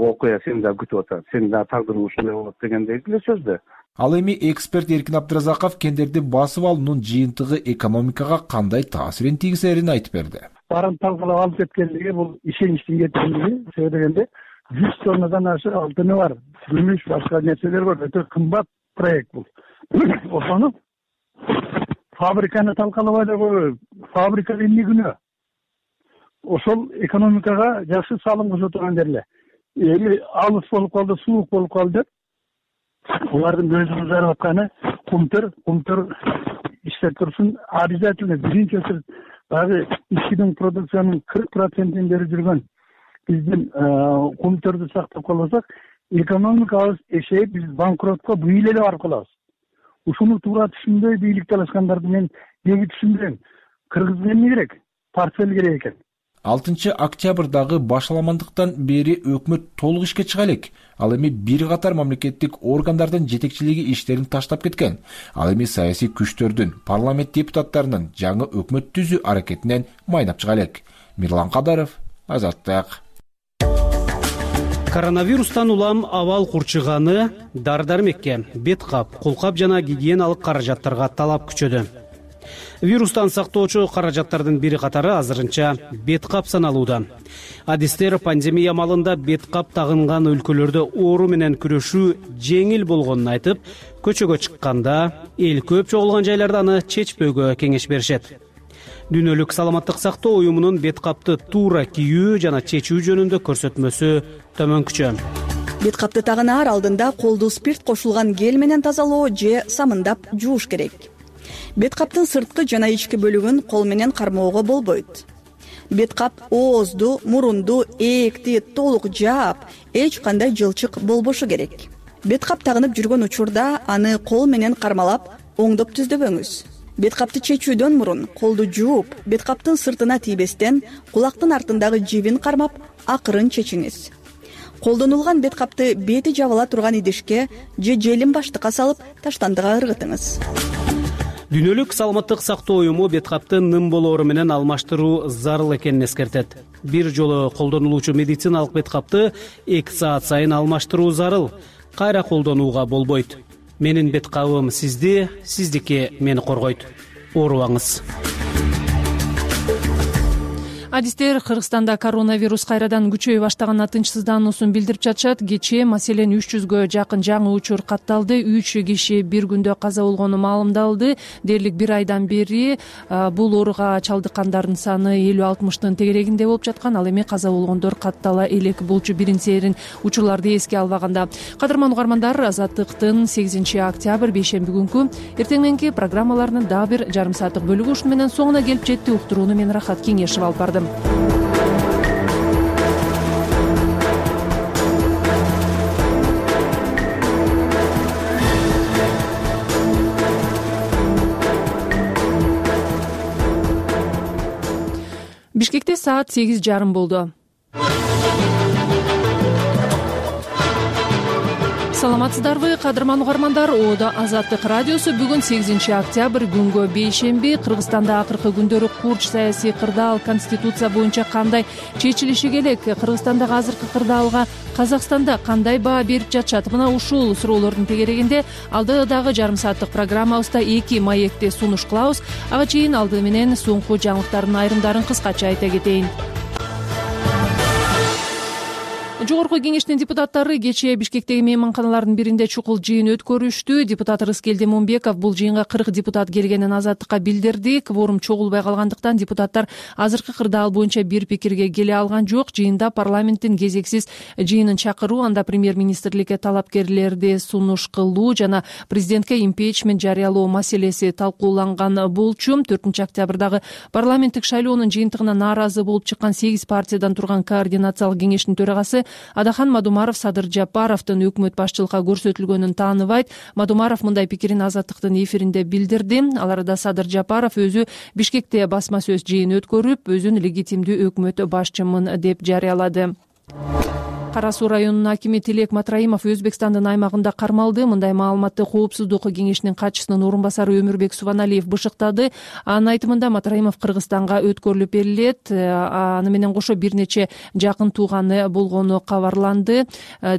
окуя сени да күтүп атат, сенин да тагдырың ушундай болот дегендей эле сөз да. Ал эми эксперт Эркин Абдыразаков кендерди басып алуунун жыйынтыгы экономикага кандай таасирин тийгизерин айтып берди. Барын талкалап алып кеткендиги бул ишеничтин кеткендиги, себеби дегенде 100 тоннадан ашык алтыны бар, күмүш, башка нерселер бар, өтө кымбат проект бул. Ошону фабриканы талкалабай эле фабрика эмне күнөө? Ошол экономикага жакшы салым кошо турган жерлер. Эми алыс болуп калды, суук болуп калды деп булардын көзүн кызарып атканы кумтөр иштеп турсун, обязательно биринчи очередь баягы ичкидин продукциянын 40%-ин берип жүргөн биздин кумтөрдү сактап калбасак, экономикабыз эшейип, биз банкротко бүйүл эле барып калабыз. Ушуну туура түшүнбөй бийлик талашкандарды мен неге түшүнбөйм? Кыргызга эмне керек? Портфель керек экен. 6 октябрдагы башаламандыктан бери өкмөт толук ишке чыга элек. Ал эми бир катар мамлекеттик органдардын жетекчилиги иштерин таштап кеткен. Ал эми саясий күчтөрдүн, парламент депутаттарынын жаңы өкмөт түзүү аракетинен майнап чыга элек. Мирлан Кадаров, Азаттык. Коронавирустан улам абал курчуганы, дар-дармекке, бет кап, кулкап жана гигиеналык каражаттарга талап күчөдү. Вирустан сактоочу каражаттардын бири катары азырынча бет кап саналууда. Адистер пандемия малында бет кап тагынган өлкөлөрдө оору менен күрөшүү жеңил болгонун айтып, көчөгө чыкканда эл көп чогулган жайларда аны чечпөөгө кеңеш беришет. Дүйнөлүк саламаттык сактоо уюмунун бет капты туура кийүү жана чечүү жөнүндө көрсөтмөсү төмөнкүчө. Бет капты тагынаар алдында колду спирт кошулган гель менен тазалоо же самындап жууш керек. Бет каптын сырткы жана ички бөлүгүн кол менен кармоого болбойт. Бет кап оозду, мурунду, ээкти толук жаап, эч кандай жылчык болбошу керек. Бет кап тагынып жүргөн учурда аны кол менен кармалап, оңдоп түздөбөңүз. Бет капты чечүүдөн мурун колду жууп, бет каптын сыртына тийбестен кулактын артындагы жибин кармап, акырын чечиңиз. Колдонулган бет капты бети жабыла турган идишке же желим баштыкка салып, таштандыга ыргытыңыз. Дүйнөлүк саламаттык сактоо уюму бет капты ным болоору менен алмаштыруу зарыл экенин эскертет. Бир жолу колдонулуучу медициналык бет капты 2 саат сайын алмаштыруу зарыл. Кайра колдонууга болбойт. Менин бет кабым сизди, сиздики мени коргойт. Оорубаңыз. Адистер Кыргызстанда коронавирус кайрадан күчөй баштаганына тынчсыздануусун билдирип жатышат. Кечээ маселен 300гө жакын жаңы учур катталды. 3 киши бир күндө каза болгону маалымдалды. Дээрлик бир айдан бери бул ооруга чалдыккандардын саны 50-60тын тегерегинде болуп жаткан. Ал эми каза болгондор каттала элек болчу биринчи учурларды эске албаганда. Кадырман угармандар, Азаттыктын 8-октябрь бейшемби күнкү эртең мененки программаларынын дагы бир жарым сааттык бөлүгү ушуну менен соңуна келип жетти. Уктурууну мен Рахат Кеңешев алып бардым. Бишкекте саат 8:30 болду. Саламатсыздарбы, кадырман угармандар? Оодо Азаттык радиосу бүгүн 8-октябрь күнгө бейшемби. Кыргызстанда акыркы күндөрү курч саясий кырдаал конституция боюнча кандай чечилиши керек? Кыргызстандагы азыркы кырдаалга Казакстанда кандай баа берип жатышат? Мына ушул суроолордун тегерегинде алдыдагы жарым сааттык программабызда 2 маекти сунуш кылабыз. Ага чейин алды менен соңку жаңылыктардын айрымдарын кыскача айта кетейин. Жогорку кеңештин депутаттары кечээ Бишкектеги мейманканалардын биринде чукул жыйын өткөрүштү. Депутат Рыскелди Мумбеков бул жыйынга 40 депутат келгенин Азаттыкка билдирди. Кворум чогулбай калгандыктан депутаттар азыркы кырдаал боюнча бир пикирге келе алган жок. Жыйында парламенттин кезексиз жыйынын чакыруу, анда премьер-министрликке талапкерлерди сунуш кылуу жана президентке импичмент жарыялоо маселеси талкууланган болчу. 4-октябрдагы парламенттик шайлоонун жыйынтыгына нааразы болуп чыккан 8 партиядан турган координациялык кеңештин төрагасы Адахан Мадумаров Садыр Жапаровдун өкмөт башчылыкка көрсөтүлгөнүн тааныбайт. Мадумаров мындай пикирин Азаттыктын эфиринде билдирди. Ал арада Садыр Жапаров өзү Бишкекте басма сөз жыйын өткөрүп, өзүн легитимдүү өкмөт башчымын деп жарыялады. Кара Суу районунун акими Тилек Матраимов Өзбекстандын аймагында кармалды. Мындай маалыматты Коопсуздук кеңешинин катчысынын орун басары Өмүрбек Субаналиев бышыктады. Анын айтымында Матраимов Кыргызстанга өткөрүлүп берилет. Аны менен кошо бир нече жакын тууганы болгону кабарланды.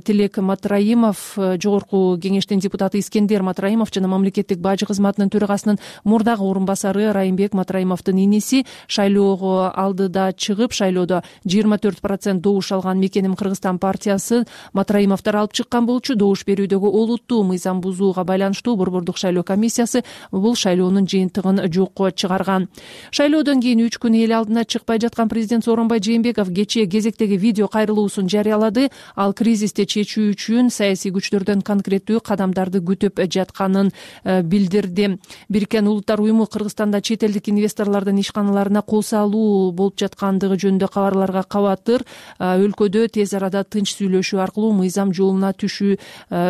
Тилек Матраимов жогорку кеңештин депутаты Искендер Матраимов жана мамлекеттик бажы кызматынын төрагасынын мурдагы орун басары Райымбек Матраимовдун иниси шайлоого алдыда чыгып, шайлоодо 24% добуш алган Мекеним Кыргызстан партиясы Матраимовдор алып чыккан болчу. Добуш берүүдөгү олуттуу мыйзам бузууга байланыштуу Борбордук шайлоо комиссиясы бул шайлоонун жыйынтыгын жокко чыгарган. Шайлоодон кийин 3 күн эл алдына чыкпай жаткан президент Сооронбай Жээнбеков кечээ кезектеги видео кайрылуусун жарыялады. Ал кризисти чечүү үчүн саясий күчтөрдөн конкреттүү кадамдарды күтүп жатканын билдирди. Бириккен Улуттар уюму Кыргызстанда чет элдик инвесторлордун ишканаларына кол салуу болуп жаткандыгы жөнүндө кабарларга кабатыр. Өлкөдө тез арада тынч сүйлөшүү аркылуу мыйзам жолуна түшүү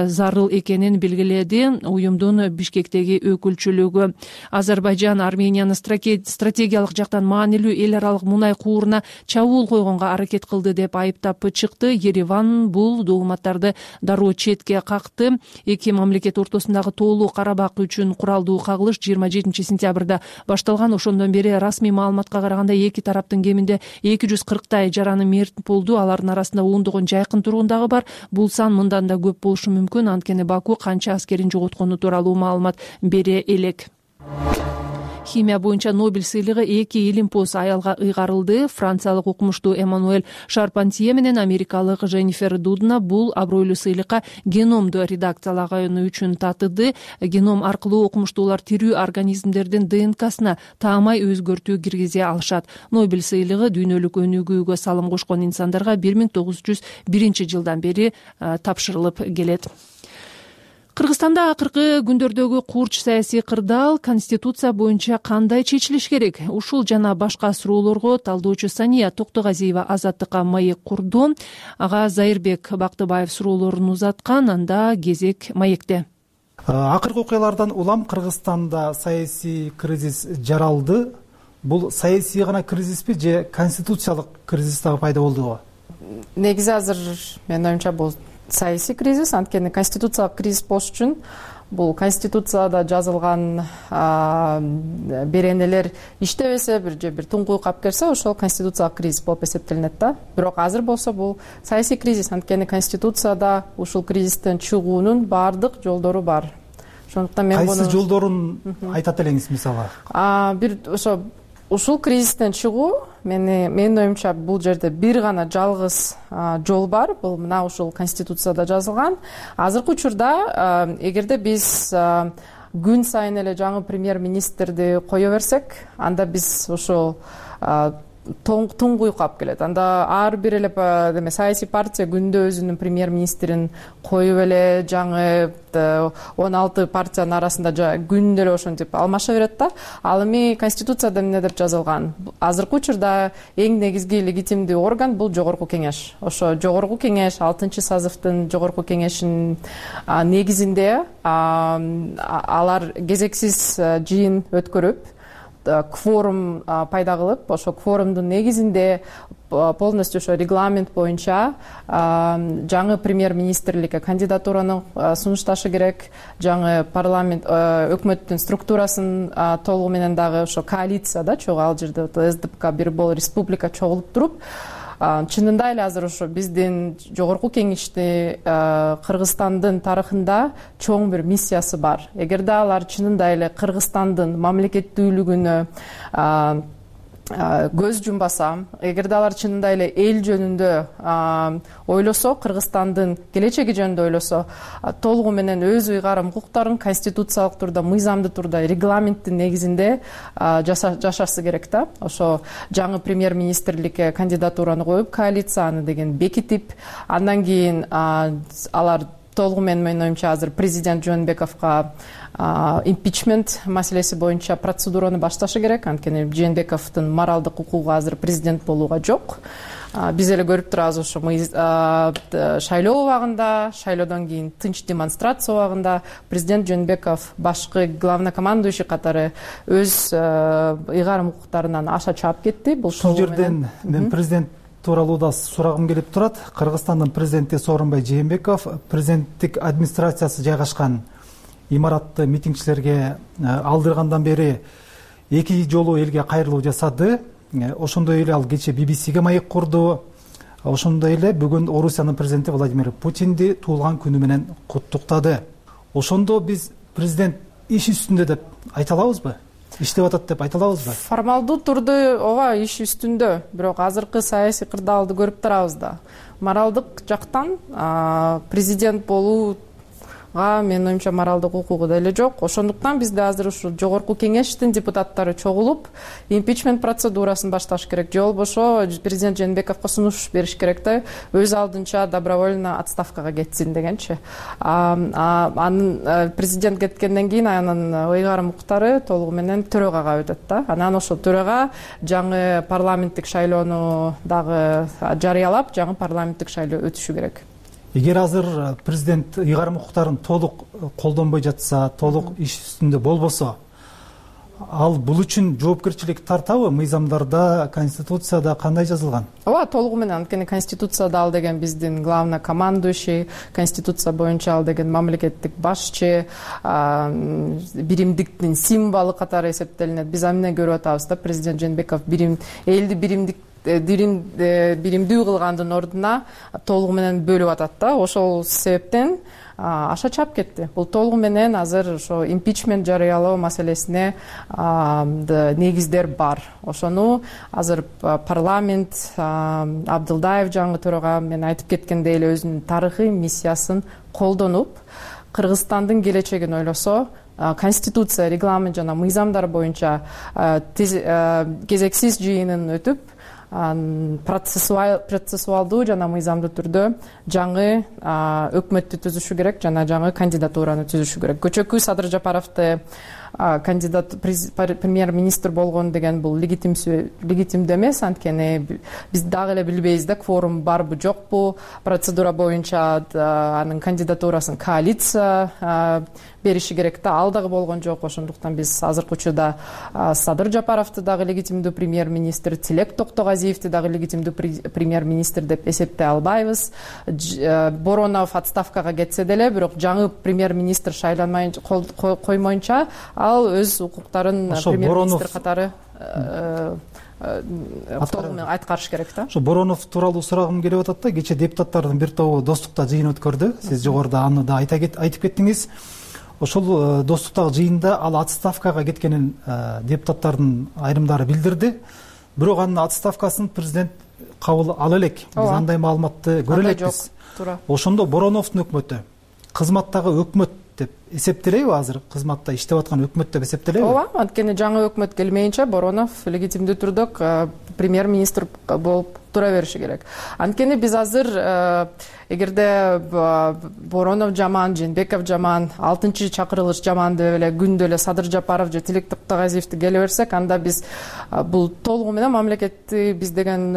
зарыл экенин белгиледи уюмдун Бишкектеги өкүлчүлүгү. Азербайжан Арменияны стратегиялык жактан маанилүү эл аралык мунай кууруна чабуул койгонго аракет кылды деп айыптап чыкты. Ереван бул догматтарды дароо четке какты. Эки мамлекет ортосундагы тоолуу Карабак үчүн куралдуу кагылыш 27 сентябрда башталган. Ошондон бери расмий маалыматка караганда эки тараптын кеминде 240 жараны мерт болду. Алардын арасында ондогон жайкын тургундагы бар. Бул сан мындан да көп болушу мүмкүн. Анткени Баку канча аскерин жоготкону тууралуу маалымат бере элек. Химия боюнча Нобель сыйлыгы 2 илимпоз аялга ыйгарылды. Франциялык окумуштуу Эммануэль Шарпантье менен америкалык Женнифер Дудна бул абройлуу сыйлыкка геномду редакциялаганы үчүн татыды. Геном аркылуу окумуштуулар тирүү организмдердин ДНКсына таамай өзгөртүү киргизе алышат. Нобель сыйлыгы дүйнөлүк өнүгүүгө салым кошкон инсандарга 1901 жылдан бери тапшырылып келет. Кыргызстанда акыркы күндөрдөгү курч саясий кырдаал конституция боюнча кандай чечилиш керек? Ушул жана башка суроолорго талдоочу Сания Токтогазиева Азаттыкка маек курду. Ага Зайырбек Бактыбаев суроолорун узаткан. Анда кезек маекте. Акыркы окуялардан улам Кыргызстанда саясий кризис жаралды. Бул саясий гана кризиспи же конституциялык кризис дагы пайда болдубу? Негизи азыр менин оюмча бул саясий кризис, анткени конституциялык кризис болуш үчүн бул конституцияда жазылган беренелер иштебесе бир туңгуй калып келсе, ошол конституциялык кризис болуп эсептелинет да. Бирок азыр болсо бул саясий кризис, анткени конституцияда ушул кризистен чыгуунун баардык жолдору бар. Ошондуктан мен кайсы жолдорун айтат элеңиз мисалы? Бир ошо ушул кризистен чыгуу менин оюмча бул жерде бир гана жалгыз жол бар, бул мына ушул конституцияда жазылган. Азыркы учурда эгерде биз күн сайын эле жаңы премьер-министрди кое берсек, анда биз ошол туңгуйук алып келет. Анда ар бир эле саясий партия күндө өзүнүн премьер-министрин коюп эле жаңы 16 партиянын арасында күндө эле ошентип алмаша берет да. Ал эми конституцияда эмне деп жазылган? Азыркы учурда эң негизги легитимдүү орган бул жогорку кеңеш. Ошо жогорку кеңеш 6-сазывдын жогорку кеңешинин негизинде алар кезексиз жыйын өткөрүп, кворум пайда кылып, ошо кворумдун негизинде полностью ошо регламент боюнча жаңы премьер-министрликке кандидатураны сунушташы керек. Жаңы парламент өкмөттүн структурасын толугу менен дагы ошо коалицияда чогуу, ал жерде СДПК бир болуп республика чогулуп туруп, чынында эле азыр ошо биздин жогорку кеңеште Кыргызстандын тарыхында чоң бир миссиясы бар. Эгерде алар чынында эле Кыргызстандын мамлекеттүүлүгүнө көз жумбаса, эгерде алар чынында эле эл жөнүндө ойлосо, Кыргызстандын келечеги жөнүндө ойлосо, толугу менен өз ыйгарым укуктарын конституциялык турда, мыйзамдуу турда, регламенттин негизинде жашасы керек да. Ошо жаңы премьер-министрликке кандидатураны коюп, коалицияны деген бекитип, андан кийин алар толугу менин оюмча азыр президент Жээнбековго импичмент маселеси боюнча процедураны башташы керек. Анткени Жээнбековдун моралдык укугу азыр президент болууга жок. Биз эле көрүп турабыз, ошо шайлоо убагында, шайлоодон кийин тынч демонстрация убагында президент Жээнбеков башкы главнокомандующий катары өз ыйгарым укуктарынан аша чаап кетти. Бул жерден мен президент тууралуу да сурагым келип турат. Кыргызстандын президенти Сооронбай Жээнбеков президенттик администрациясы жайгашкан имаратты митингчилерге алдыргандан бери 2 жолу элге кайрылуу жасады. Ошондой эле ал кече BBC-ге маек курду. Ошондой эле бүгүн Орусиянын президенти Владимир Путинди туулган күнү менен куттуктады. Ошондо биз президент иш үстүндө деп айта алабызбы? Иштеп атат деп айта алабызбы? Формалдуу турду ооба иш үстүндө, бирок азыркы саясий кырдаалды көрүп турабыз да. Моралдык жактан президент болууга менин оюмча моралдык укугу деле жок. Ошондуктан бизде азыр ушу жогорку кеңештин депутаттары чогулуп, импичмент процедурасын башташ керек. Же болбошо президент Жээнбековго сунуш бериш керек да, өз алдынча добровольно отставкага кетсин дегенчи. Анын президент кеткенден кийин анын ыйгарым укуктары толугу менен төрөгага өтөт да. Анан ошол төрөгө жаңы парламенттик шайлоону дагы жарыялап, жаңы парламенттик шайлоо өтүшү керек. Эгер азыр президент ыйгарым укуктарын толук колдонбой жатса, толук иш үстүндө болбосо, ал бул үчүн жоопкерчилик тартабы? Мыйзамдарда, конституцияда кандай жазылган? Ооба, толугу менен. Анткени конституцияда ал деген биздин главнокомандующий, конституция боюнча ал деген мамлекеттик башчы, биримдиктин символу катары эсептелинет. Биз эмне көрүп атабыз да, президент Жээнбеков элди биримдүү кылгандын ордуна толугу менен бөлүп атат да. Ошол себептен аша чаап кетти. Бул толугу менен азыр ошо импичмент жарыялоо маселесине негиздер бар. Ошону азыр парламент Абдылдаев жаңы төрага мен айтып кеткендей эле өзүнүн тарыхый миссиясын колдонуп, Кыргызстандын келечегин ойлосо, конституция, регламент жана мыйзамдар боюнча кезексиз жыйынын өтүп, процессуалдуу жана мыйзамдуу түрдө жаңы өкмөттү түзүшү керек, жана жаңы кандидатураны түзүшү керек. Көчөкү Садыр Жапаровду кандидат премьер-министр болгон деген бул легитимдүү эмес. Анткени биз дагы эле билбейбиз да, кворум барбы жокпу. Процедура боюнча анын кандидатурасын коалиция бериши керек да, ал дагы болгон жок. Ошондуктан биз азыркы учурда Садыр Жапаровду дагы легитимдүү премьер-министр, Тилек Токтогазиевди дагы легитимдүү премьер-министр деп эсептей албайбыз. Боронов отставкага кетсе деле, бирок жаңы премьер-министр шайланмай коймоюнча ал өз укуктарын премьер-министр катары айткарыш керек да. Ошо Боронов тууралуу сурагым келип атат да. Кече депутаттардын бир тобу достукта жыйын өткөрдү. Сиз жогоруда аны да айтып кеттиңиз. Ошол достуктагы жыйында ал отставкага кеткенин депутаттардын айрымдары билдирди. бирок анын отставкасын президент кабыл ала элек. Биз андай маалыматты көрө элекпиз. Туура. Ошондо Бороновдун өкмөтү кызматтагы өкмөт деп эсептелеби? Азыр кызматта иштеп аткан өкмөт деп эсептелеби? Ооба, анткени жаңы өкмөт келмейинче Боронов легитимдүү түрдө премьер-министр болуп тура бериши керек. Анткени биз азыр эгерде Боронов жаман, Жээнбеков жаман, 6-чакырылыш жаман деп эле күндө эле Садыр Жапаров же Тилек Токтогазиевди келе берсек, анда биз бул толугу менен мамлекетти биз деген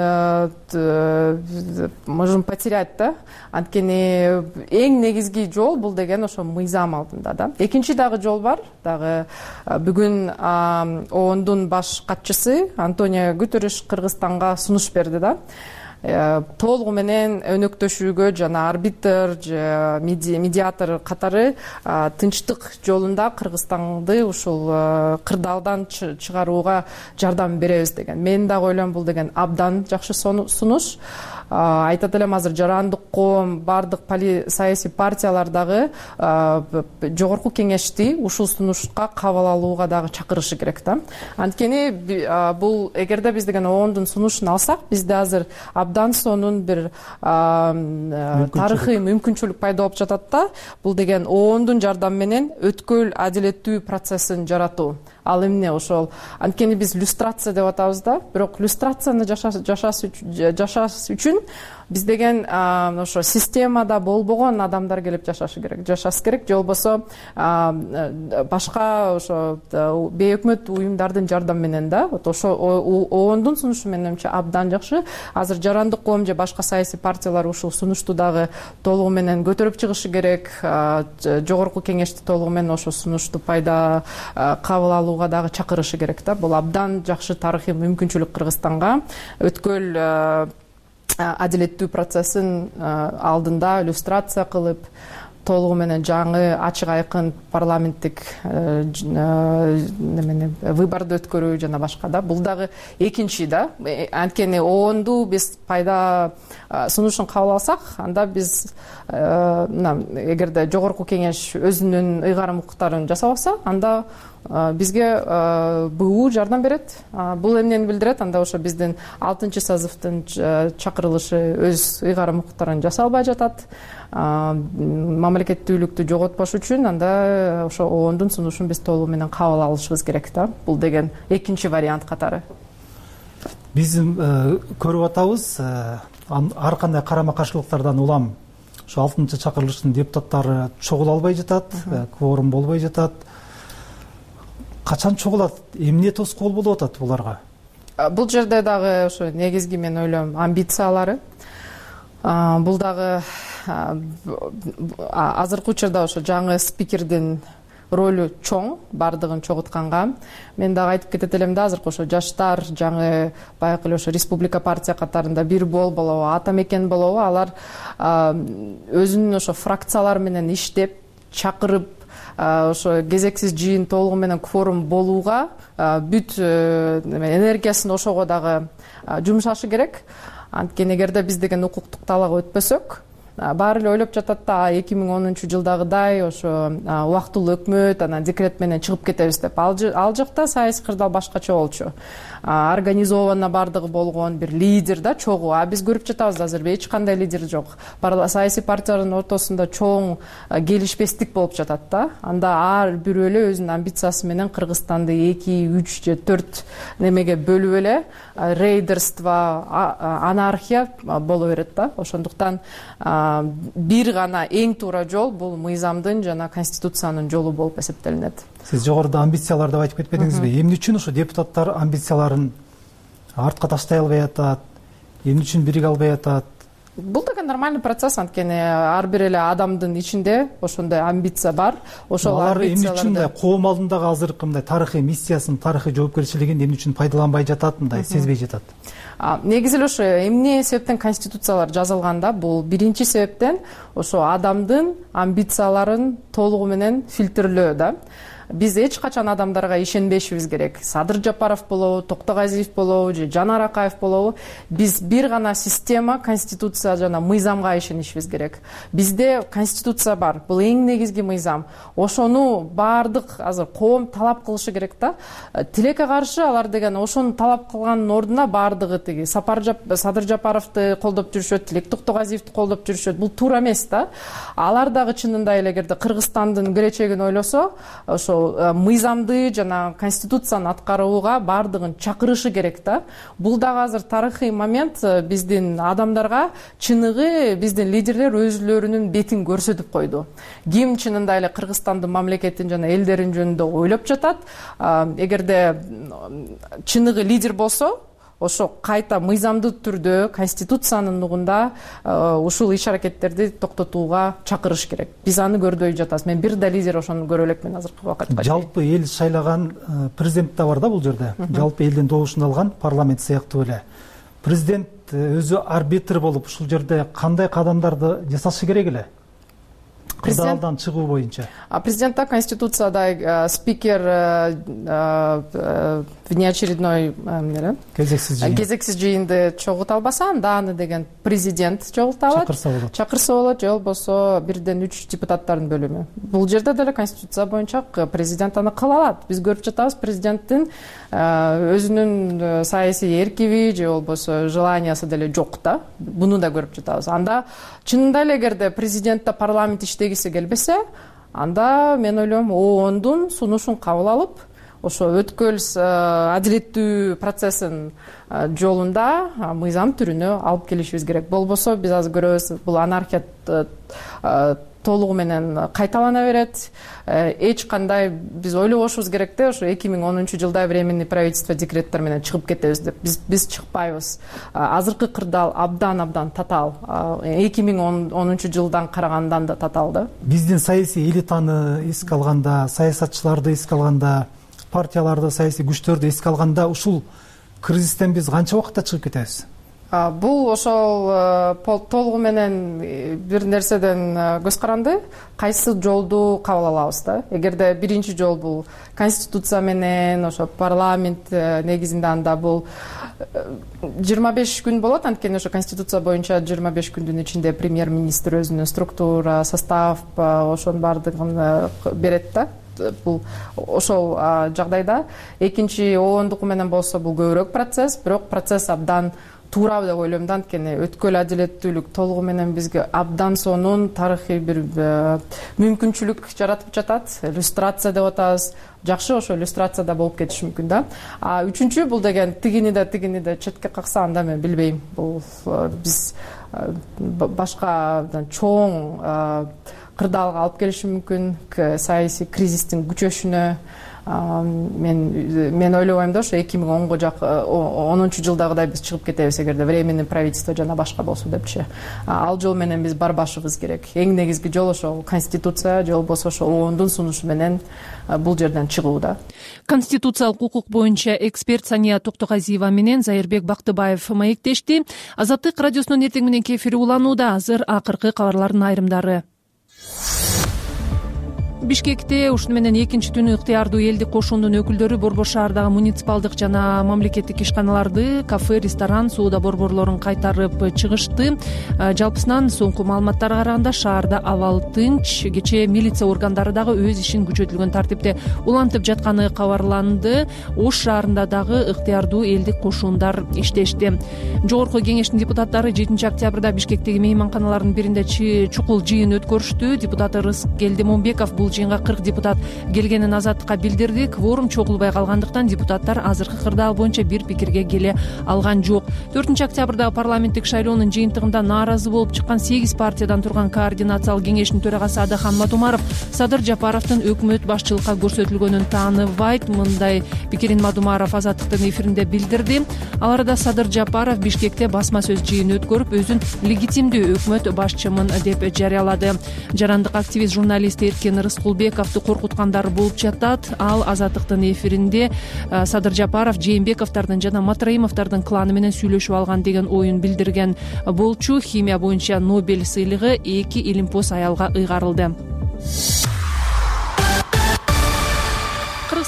можем потерять да. Анткени эң негизги жол бул деген ошо мыйзам алдында да. Экинчи дагы жол бар. Дагы бүгүн ООНдун баш катчысы Антонио Гутерриш Кыргызстанга сунуш берди да. Толугу менен өнөктөшүүгө жана арбитр же медиатор катары тынчтык жолунда Кыргызстанды ушул кырдаалдан чыгарууга жардам беребиз деген. Мен дагы ойлойм, бул деген абдан жакшы сунуш. Айтат элем, азыр Жарандык коом, бардык саясий партиялар дагы жогорку кеңешти ушул сунушка кабыл алууга дагы чакырышы керек да. Анткени бул эгерде биз деген ООНдун сунушун алсак, бизде азыр абдан сонун бир тарыхый мүмкүнчүлүк пайда болуп жатат да. Бул деген ООНдун жардамы менен өткөл адилеттүү процессин жаратуу. Ал эмне ошол? Анткени биз люстрация деп атабыз да. Бирок люстрацияны жашаш үчүн биз деген ошо системада болбогон адамдар келип жашаш керек, же болбосо башка ошо бейөкмөт уюмдардын жардамы менен да. Ошо ООНдун сунушу менимче абдан жакшы. Азыр Жарандык коом же башка саясий партиялар ушул сунушту дагы толугу менен көтөрүп чыгышы керек. Жогорку кеңешти толугу менен ошо сунушту пайда кабыл алууга дагы чакырышы керек да. Бул абдан жакшы тарыхый мүмкүнчүлүк Кыргызстанга өткөл адилеттүү процессин алдында люстрация кылып, толугу менен жаңы ачык айкын парламенттик выборду өткөрүү жана башка да. Бул дагы экинчи да. Анткени ООНду биз пайда сунушун кабыл алсак, анда биз эгерде жогорку кеңеш өзүнүн ыйгарым укуктарын жасабаса, анда бизге БУ жардам берет. Бул эмнени билдирет? Анда ошо биздин 6-созывдун чакырылышы өз ыйгарым укуктарын жасай албай жатат. Мамлекеттүүлүктү жоготпош үчүн анда ошо ООНдун сунушун биз толугу менен кабыл алышыбыз керек да. Бул деген экинчи вариант катары. Биз көрүп атабыз, ар кандай карама каршылыктардан улам ошо 6-чакырылыштын депутаттары чогула албай жатат, кворум болбой жатат. Качан чогулат? Эмне тоскоол болуп атат буларга? Бул жерде дагы ошо негизги мен ойлойм амбициялары. Бул дагы азыркы учурда ошо жаңы спикердин ролу чоң, бардыгын чогутканга. Мен дагы айтып кетет элем да, азыркы ошо жаштар жаңы баягы эле ошо республика партия катарында бир болобу, ата мекен болобу, алар өзүнүн ошо фракциялары менен иштеп, чакырып, ошо кезексиз жыйын толугу менен кворум болууга бүт энергиясын ошого дагы жумшашы керек. Анткени эгерде биз деген укуктук талаага өтпөсөк, баары эле ойлоп жатат да 2010-жылдагыдай ошо убактылуу өкмөт анан декрет менен чыгып кетебиз деп. Ал жакта саясий кырдаал башкача болчу. Организованно бардыгы болгон бир лидер да чогуу. Биз көрүп жатабыз азыр эч кандай лидер жок. Саясий партиялардын ортосунда чоң келишпестик болуп жатат да. Анда ар бирөө эле өзүнүн амбициясы менен Кыргызстанды 2, 3 же 4 немеге бөлүп эле рейдерство, анархия боло берет да. Ошондуктан бир гана эң туура жол бул мыйзамдын жана конституциянын жолу болуп эсептелинет. Сиз жогоруда амбициялар деп айтып кетпедиңизби? Эмне үчүн ошо депутаттар амбицияларын артка таштай албай атат? Эмне үчүн бириге албай атат? Бул деген нормальный процесс, анткени ар бир эле адамдын ичинде ошондой амбиция бар. Ошол амбицияларды эмне үчүн коом алдындагы азыркы мындай тарыхый миссиясын, тарыхый жоопкерчилигин эмне үчүн пайдаланбай жатат, мындай сезбей жатат? Негизи эле ошо эмне себептен конституциялар жазылганда, бул биринчи себептен ошо адамдын амбицияларын толугу менен фильтрлөө да. биз эч качан адамдарга ишенбешибиз керек. Садыр Жапаров болобу, Токтогазиев болобу же Жанар Акаев болобу, биз бир гана система, конституция жана мыйзамга ишенишибиз керек. Бизде конституция бар, бул эң негизги мыйзам. Ошону баардык азыр коом талап кылышы керек да. Тилекке каршы алар деген ошону талап кылганын ордуна баардыгы тиги Садыр Жапаровду колдоп жүрүшөт, Тилек Токтогазиевди колдоп жүрүшөт. Бул туура эмес да. Алар дагы чынында эле эгерде Кыргызстандын келечегин ойлосо, ошо мыйзамды жана конституцияны аткарууга баардыгын чакырышы керек да. Бул дагы азыр тарыхый момент, биздин адамдарга чыныгы биздин лидерлер өзлөрүнүн бетин көрсөтүп койду. Ким чынында эле Кыргызстандын мамлекетин жана элдерин жөнүндө ойлоп жатат, эгерде чыныгы лидер болсо, ошо кайта мыйзамдуу түрдө конституциянын нугунда ушул иш-аракеттерди токтотууга чакырыш керек. Биз аны көрдөй жатабыз. Мен бир да лидер ошону көрө элекмин азыркы убакытка. Жалпы эл шайлаган президент да бар да бул жерде. Жалпы элдин добушун алган парламент сыяктуу эле. Президент өзү арбитр болуп ушул жерде кандай кадамдарды жасашы керек эле? Кырдаалдан чыгуу боюнча. Президентте конституцияда спикер внеочередной кезексиз жыйынды чогулта албаса, анда аны деген президент чогулта алат. Чакырса болот, же болбосо 1-3 депутаттардын бөлүмү. Бул жерде деле конституция боюнча президент аны кыла алат. Биз көрүп жатабыз, президенттин өзүнүн саясий эркиби же болбосо желаниясы деле жок да. Буну да көрүп жатабыз. Анда чынында эле эгерде президентте парламент иштегиси келбесе, анда мен ойлойм ООНдун сунушун кабыл алып, ошо өткөл адилеттүү процессин жолунда мыйзам түрүнө алып келишибиз керек. Болбосо биз азыр көрөбүз, бул анархия толугу менен кайталана берет. Эч кандай биз ойлобошубуз керек да, ошо 2010-жылда временный правительство декреттер менен чыгып кетебиз деп. Биз чыкпайбыз. Азыркы кырдаал абдан татаал. 2010-жылдан карагандан да татаал да. Биздин саясий элитаны эске алганда, саясатчыларды эске алганда, партияларды, саясий күчтөрдү эске алганда, ушул кризистен биз канча убакытта чыгып кетебиз? Бул ошол толугу менен бир нерседен көз каранды, кайсы жолду кабыл алабыз да. Эгерде биринчи жол бул конституция менен, ошо парламент негизинде, анда бул 25 күн болот, анткени ошо конституция боюнча 25 күндүн ичинде премьер-министр өзүнүн структура, состав, ошонун баардыгын берет да. Бул ошол жагдайда экинчи оондуку менен болсо бул көбүрөөк процесс, бирок процесс абдан туура деп ойлойм да, анткени өткөл адилеттүүлүк толугу менен бизге абдан сонун тарыхый бир мүмкүнчүлүк жаратып жатат. Иллюстрация деп атабыз. Жакшы ошо иллюстрацияда болуп кетиши мүмкүн да. Үчүнчү бул деген тигини да четке какса, анда мен билбейм. Бул биз башка чоң кырдаалга алып келиши мүмкүн, саясий кризистин күчөшүнө. Мен ойлобойм да, ошо 2010-жылдагыдай биз чыгып кетебиз эгерде временный правительство жана башка болсо депчи. Ал жол менен биз барбашыбыз керек. Эң негизги жол ошо конституция же болбосо ошо ООНдун сунушу менен бул жерден чыгуу да. Конституциялык укук боюнча эксперт Сания Токтогазиева менен Зайырбек Бактыбаев маектешти. Азаттык радиосунун эртең мененки эфири уланууда. Азыр акыркы кабарлардын айрымдары. Бишкекте ушуну менен экинчи түнү ыктыярдуу элдик кошундун өкүлдөрү Борбор шаардагы муниципалдык жана мамлекеттик ишканаларды, кафе, ресторан, соода борборлорун кайтарып чыгышты. Жалпысынан соңку маалыматтарга караганда шаарда абал тынч. Кечээ милиция органдары дагы өз ишин күчөтүлгөн тартипте улантып жатканы кабарланды. Ош шаарында дагы ыктыярдуу элдик кошундар иштешти. Жогорку кеңештин депутаттары 7 октябрда Бишкектеги мейманканалардын биринде чукул жыйын өткөрүштү. Депутат Рыскелди Момбеков бул жыйынга 40 депутат келгенин Азаттыкка билдирди. Кворум чогулбай калгандыктан депутаттар азыркы кырдаал боюнча бир пикирге келе алган жок. 4 октябрда парламенттик шайлоонун жыйынтыгында нааразы болуп чыккан 8 партиядан турган координациялык кеңештин төрагасы Адахан Мадумаров Садыр Жапаровдун өкмөт башчылыкка көрсөтүлгөнүн тааныбайт. Мындай пикирин Мадумаров Азаттыктын эфиринде билдирди. Ал арада Садыр Жапаров Бишкекте басма сөз жыйын өткөрүп, өзүн легитимдүү өкмөт башчымын деп жарыялады. Жарандык активист журналист Эркен Рыскулбековду коркуткандар болуп жатат. Ал Азаттыктын эфиринде Садыр Жапаров Жээнбековдордун жана Матраимовдордун кланы менен сүйлөшүп алган деген оюн билдирген болчу. Химия боюнча Нобель сыйлыгы 2 илимпоз аялга ыйгарылды.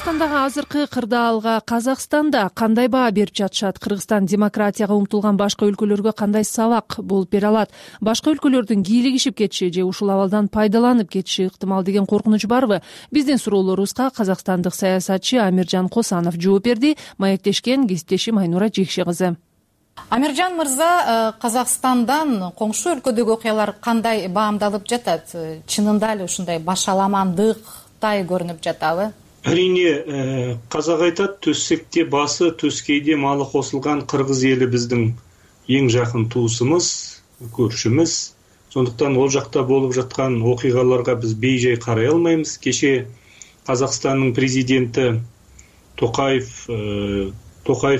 кыргызстандагы азыркы кырдаалга Казакстанда кандай баа берип жатышат? Кыргызстан демократияга умтулган башка өлкөлөргө кандай сабак болуп бере алат? Башка өлкөлөрдүн кийлигишип кетиши же ушул абалдан пайдаланып кетиши ыктымал деген коркунуч барбы? Биздин суроолорубузга казакстандык саясатчы Амиржан Косанов жооп берди. Маектешкен кесиптешим Айнура Жекше кызы. Амиржан мырза, Казакстандан коңшу өлкөдөгү окуялар кандай баамдалып жатат? Чынында эле ушундай башаламандыктай көрүнүп жатабы? Әрине, қазақ айтат, төссекте басы, төскейде малы қосылған қырғыз елі біздің ең жақын туысымыз, көршіміз. Сондықтан ол жақта болып жатқан оқиғаларға біз бейжай қарай алмаймыз. Кеше Қазақстанның президенті Тоқаев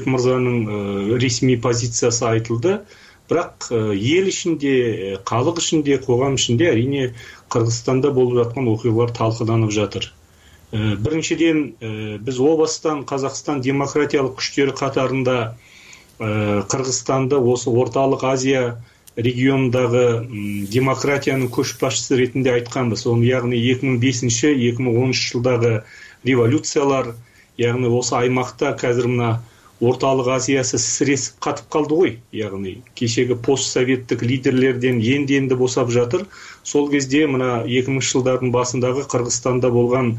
мырзаның ресми позициясы айтылды. Бірақ ел ішінде, халық ішінде, қоғам ішінде әрине Қырғызстанда болып жатқан оқиғалар талқыланып жатыр. Біріншіден, біз о бастан Қазақстан демократиялық күштері қатарында Қырғызстанды осы орталық Азия регионындағы демократияның көшбасшысы ретінде айтқанбыз. Оны яғни 2005-2013 жылдағы революциялар, яғни осы аймақта қазір мына орталық Азиясы сіресіп қатып қалды ғой. Яғни кешегі постсоветтік лидерлерден енді босап жатыр. Сол кезде мына 2000 жылдардың басындағы Қырғызстанда болған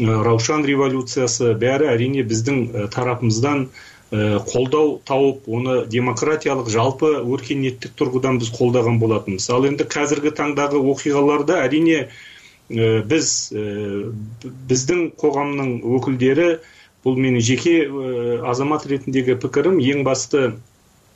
Раушан революциясы бәрі әрине біздің тарапымыздан қолдау тауып, оны демократиялық жалпы өркениеттік тұрғыдан біз қолдаған болатынбыз. Ал енді қазіргі таңдағы оқиғаларда әрине біздің қоғамның өкілдері, бұл менің жеке азамат ретіндегі пікірім, ең басты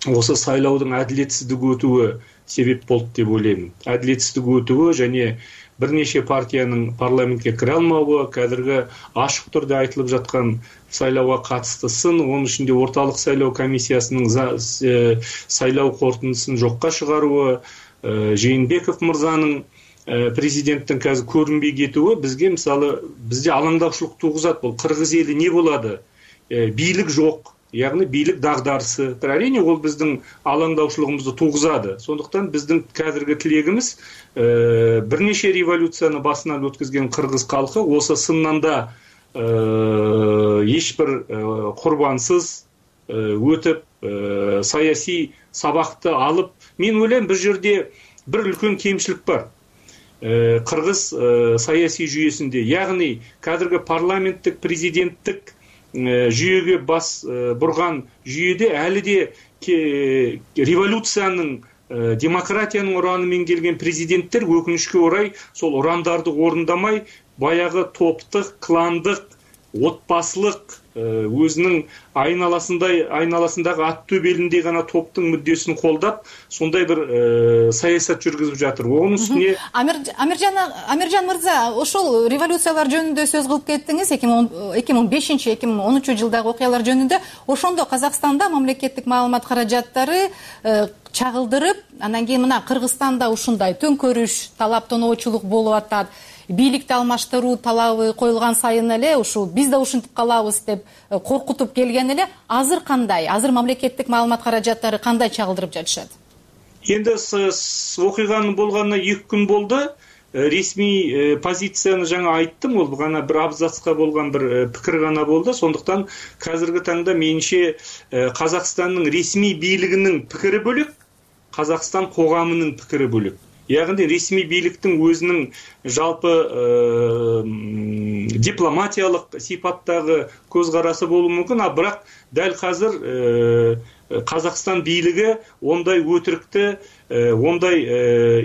осы сайлаудың әділетсіздік өтуі себеп болды деп ойлаймын. Әділетсіздік өтуі және бірнеше партияның парламентке кіре алмауы, қазіргі ашық түрде айтылып жатқан сайлауға қатысты сын, оның ішінде орталық сайлау комиссиясының сайлау қорытындысын жоққа шығаруы, Жээнбеков мырзаның президенттің қазір көрінбей кетуі бізге мысалы бізде алаңдаушылық туғызады. Бұл қырғыз елі не болады? Билік жоқ, яғни билік дағдарысы. Әрине ол біздің алаңдаушылығымызды туғызады. Сондықтан біздің қазіргі тілегіміз бірнеше революцияны басынан өткізген қырғыз халқы осы сыннанда ешбір құрбансыз өтіп, саяси сабақты алып, мен ойлаймын бір жерде бір үлкен кемшілік бар. Қырғыз саяси жүйесінде, яғни қазіргі парламенттік, президенттік жүйеге бас бұрған жүйеде әлі де революцияның, демократияның ұранымен келген президенттер өкінішке орай сол ұрандарды орындамай, баяғы топтық, кландық, отбасылық, өзінің айналасындағы ат төбеліндей ғана топтың мүддесін қолдап, сондай бір саясат жүргізіп жатыр. Оның үстіне Амиржан мырза, ошол революциялар жөнүндө сөз кылып кеттиңиз, 2005-2013 жылдагы окуялар жөнүндө. Ошондо Казакстанда мамлекеттик маалымат каражаттары чагылдырып, анан кийин мына Кыргызстанда ушундай төңкөрүш, талап тоноочулук болуп атат. Бийликти алмаштыруу талабы коюлган сайын эле ушу биз да ушинтип калабыз деп коркутуп келген эле. Азыр кандай? Азыр мамлекеттик маалымат каражаттары кандай чагылдырып жатышат? Енді оқиғаның болғанына 2 күн болды. Ресми позицияны жаңа айттым, ол ғана бір абзацқа болған бір пікір ғана болды. Сондықтан қазіргі таңда меніңше Қазақстанның ресми бийлигинин пікірі бөлек, Қазақстан қоғамының пікірі бөлек. Яғни ресми бийликтің өзінің жалпы дипломатиялық сипаттағы көзқарасы болуы мүмкін, бірақ дәл қазір Қазақстан бийлиги ондай өтірікті, ондай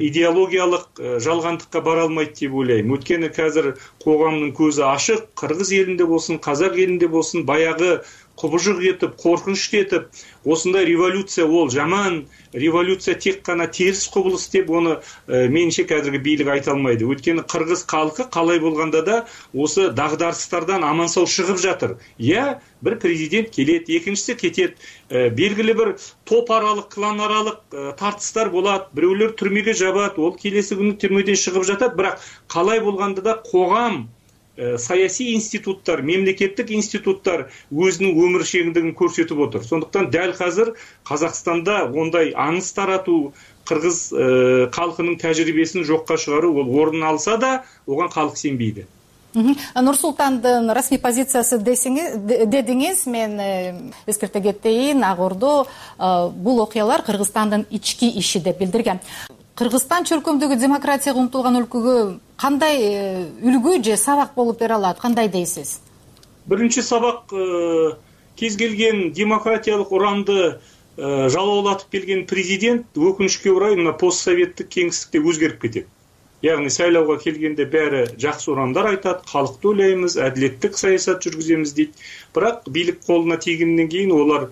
идеологиялық жалғандыққа бара алмайды деп ойлаймын. Өйткені қазір қоғамның көзі ашық, Қырғыз елінде болсын, Қазақ елінде болсын, баяғы құбыжық етіп, қорқыныш етіп, осындай революция ол жаман, революция тек қана теріс құбылыс деп оны меніңше қазіргі бийлик айта алмайды. Өйткені қырғыз халқы қалай болғанда да осы дағдарыстардан аман сау шығып жатыр. Я бір президент келеді, екіншісі кетеді, белгілі бір топ аралық, клан аралық тартыстар болады, біреулер түрмеге жабады, ол келесі күні түрмеден шығып жатады, бірақ қалай болғанда да қоғам, саяси институттар, мемлекеттік институттар өзінің өміршеңдігін көрсетіп отыр. Сондықтан дәл қазір Қазақстанда ондай аңыз тарату, қырғыз халқының тәжірибесін жоққа шығару, ол орын алса да, оған халық сенбейді. Нурсултандын расмий позициясы дедиңиз, мен эскерте кетейин, Ак Ордо бул окуялар Кыргызстандын ички иши деп билдирген. Кыргызстан чөлкөмдөгү демократияга умтулган өлкөгө кандай үлгү же сабак болуп бере алат, кандай дейсиз? Биринчи сабак, кез келген демократиялык урамды жалоолатып келген президент өкүнүчкө орай мына постсоветтик кеңистикте өзгөрүп кетет. Яғни сайлауга келгенде бәрі жақсы урамдар айтат, халыкты ойлаймыз, әдилеттик саясат жүргүзөмүз дейт. Бирок бийлик колуна тийгенден кийин олар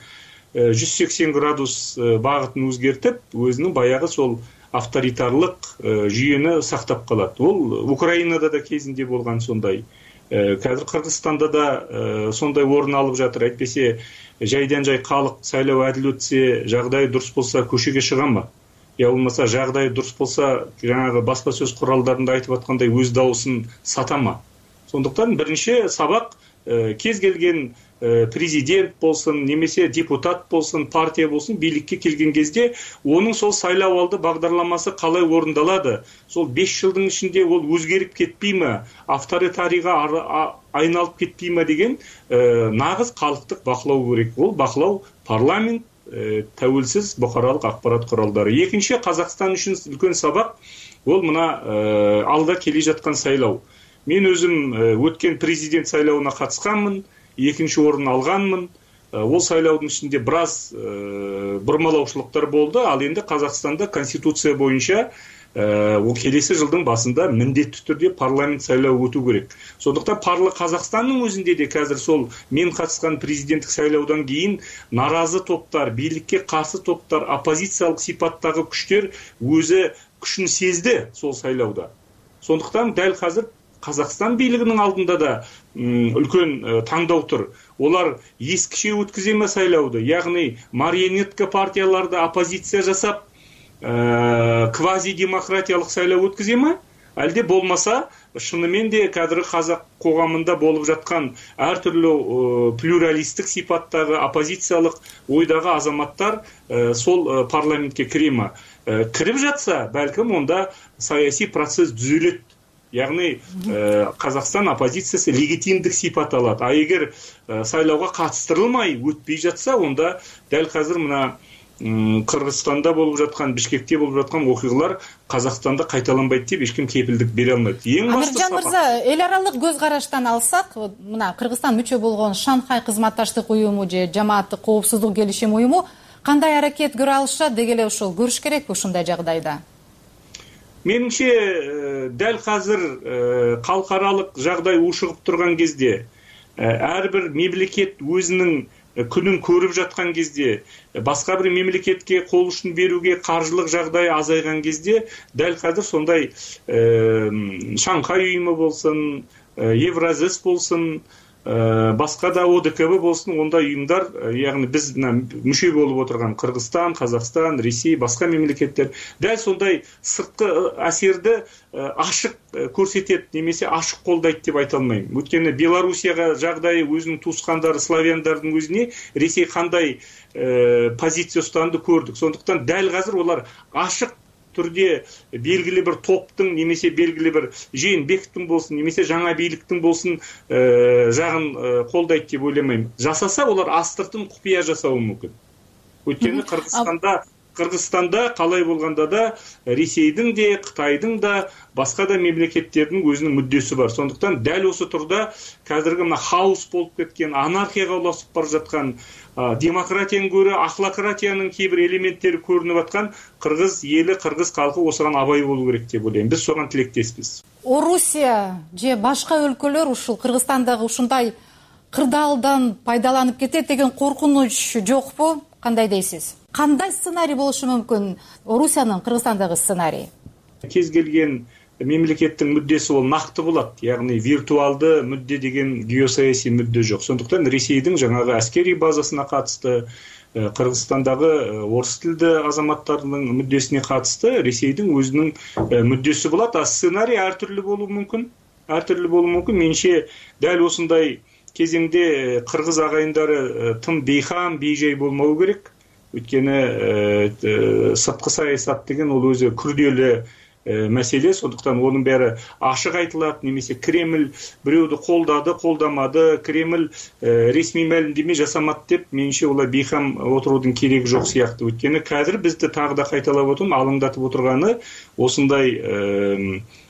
180 градус багытын өзгертип, өзүнүн баягы сол авторитарлык жүйөнү сактап калат. Ол Украинада да кезинде болгон сондай. Қазір Кыргызстанда да сондай орын алып жатыр. Айтпесе жайдан жай калык сайлоо адил өтсе, жагдай дурус болса көчөгө чыганбы? Я болмаса жагдай дурус болса, жанагы баспа сөз куралдарында айтып аткандай өз дауысын сатама. Сондуктан биринчи сабак кез келген президент болсын, немесе депутат болсын, партия болсын, бийликке келген кезде оның сол сайлау алды бағдарламасы қалай орындалады? Сол 5 жылдың ішінде ол өзгеріп кетпейме, авторитарийға айналып кетпейме деген нағыз халықтық бақылау керек. Ол бақылау парламент, тәуелсіз бұқаралық ақпарат құралдары. Екінші, Қазақстан үшін үлкен сабақ, ол мына алда келе жатқан сайлау. Мен өзім өткен президент сайлауына қатысқанмын, екінші орын алғанмын. Ол сайлаудың ішінде біраз бұрмалаушылықтар болды, ал енді Қазақстанда конституция бойынша ол келесі жылдың басында міндетті түрде парламент сайлауы өту керек. Сондықтан Қазақстанның өзінде де қазір сол мен қатысқан президенттік сайлаудан кейін наразы топтар, бийликке қарсы топтар, оппозициялық сипаттағы күштер өзі күшін сезді сол сайлауда. Сондықтан дәл қазір Қазақстан бийлигинин алдында да үлкен таңдау тұр. Олар ескіше өткіземе сайлауды, яғни марионетка партияларды оппозиция жасап, квази-демократиялық сайлау өткіземе? Әлде болмаса, шынымен де кәдір қазақ қоғамында болып жатқан әртүрлі плюралистік сипаттағы оппозициялық ойдағы азаматтар сол парламентке кіреме? Кіріп жатса, бәлкім онда саяси процесс түзелет. Яғни Қазақстан оппозициясы легитимдік сипат алады. А егер сайлауға қатыстырылмай өтпей жатса, онда дәл қазір мына Кыргызстанда болып жатқан, Бишкекте болып жатқан оқиғалар Қазақстанда қайталанбайды деп ешкім кепілдік бере алмайды. Амиржан мырза, эл аралык көз караштан алсак, мына Кыргызстан мүчө болгон Шанхай кызматташтык уюму же жамааттык коопсуздук келишим уюму кандай аракет көрө алышат деги эле ошол көрүш керекпи ушундай жагдайда? Меніңше, дәл қазір халықаралық жағдай ушығып тұрған кезде, әрбір мемлекет өзінің күнін көріп жатқан кезде, басқа бір мемлекетке қол ұшын беруге қаржылық жағдай азайған кезде, дәл қазір сондай Шанхай ұйымы болсын, Евразес болсын, басқа да ОДКБ болсын, онда ұйымдар, яғни біз мүше болып отырған Қырғызстан, Қазақстан, Ресей, басқа мемлекеттер, дәл сондай сыртқы әсерді ашық көрсетеді, немесе ашық қолдайды деп айта алмаймын. Өйткені Белоруссияға жағдайы өзінің туысқандары славяндардың өзіне Ресей қандай позиция ұстанды көрдік. Сондықтан дәл қазір олар ашық түрде белгілі бір топтың, немесе белгілі бір Жээнбековтің болсын, немесе жаңа бийликтің болсын жағын қолдайды деп ойламаймын. Жасаса, олар астыртын құпия жасауы мүмкін. Өйткені Қырғызстанда қалай болғанда да Ресейдің де, Қытайдың да, басқа да мемлекеттердің өзінің мүддесі бар. Сондықтан дәл осы тұрда қазіргі мына хаос болып кеткен, анархияға ұласып бара жатқан, демократияның көрі ахлократияның кейбір элементтері көрініп жатқан қырғыз елі, қырғыз халқы осыған абай болу керек деп ойлаймын. Біз соған тілектеспіз. Орусия же башка өлкөлөр ушул Кыргызстандагы ушундай кырдаалдан пайдаланып кетет деген коркунуч жокпу? Кандай дейсиз? Кандай сценарий болушу мүмкүн? Орусиянын Кыргызстандагы сценарий? Кез келген мемлекеттің мүддесі ол нақты болады. Яғни виртуалды мүдде деген геосаяси мүдде жоқ. Сондықтан Ресейдің жаңағы әскери базасына қатысты, Қырғызстандағы орыс тілді азаматтарының мүддесіне қатысты Ресейдің өзінің мүддесі болады. А сценарий әртүрлі болуы мүмкін. Менше дәл осындай кезеңде қырғыз ағайындары тым бейхам, бейжай болмау керек. Өйткені сыртқы саясат деген ол өзі күрделі маселе. Сондуктан онун баары ашык айтылат. Немесе Кремль бирөөдү колдамады, Кремль ресмий маалимдеме жасамат деп менимче улай бейкам отуруудун кереги жок сыяктуу. Өйткөнү азыр бизди тагы да кайталап отурум, алаңдатып отурганы осундай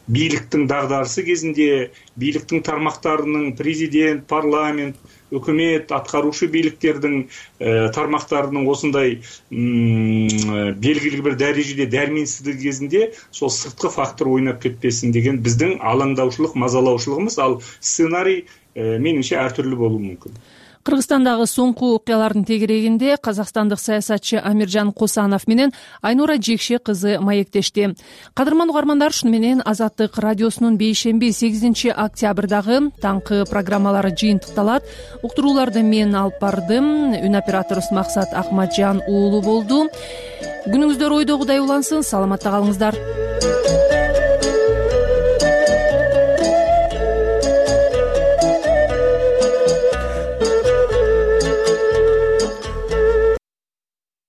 бийликтин дагдарысы кезинде бийликтин тармактарынын президент, парламент, өкмөт, аткаруучу бийликтердин тармактарынын осундай белгилүү бир дарежеде дарменсиздиги кезинде сол сырткы фактор ойноп кетпесин деген биздин алаңдаушулук, мазалаушулугубуз. Ал сценарий менимче ар түрлүү болуу мүмкүн. Кыргызстандагы соңку окуялардын тегерегинде казакстандык саясатчы Амиржан Косанов менен Айнура Жекше кызы маектешти. Кадырман угармандар, шуну менен Азаттык радиосунун бейшемби 8 октябрдагы таңкы программалары жыйынтыкталат. Уктурууларды мен алып бардым. Үн операторубуз Максат Акматжан уулу болду. Күнүңүздөр ойдогудай улансын. Саламатта калыңыздар.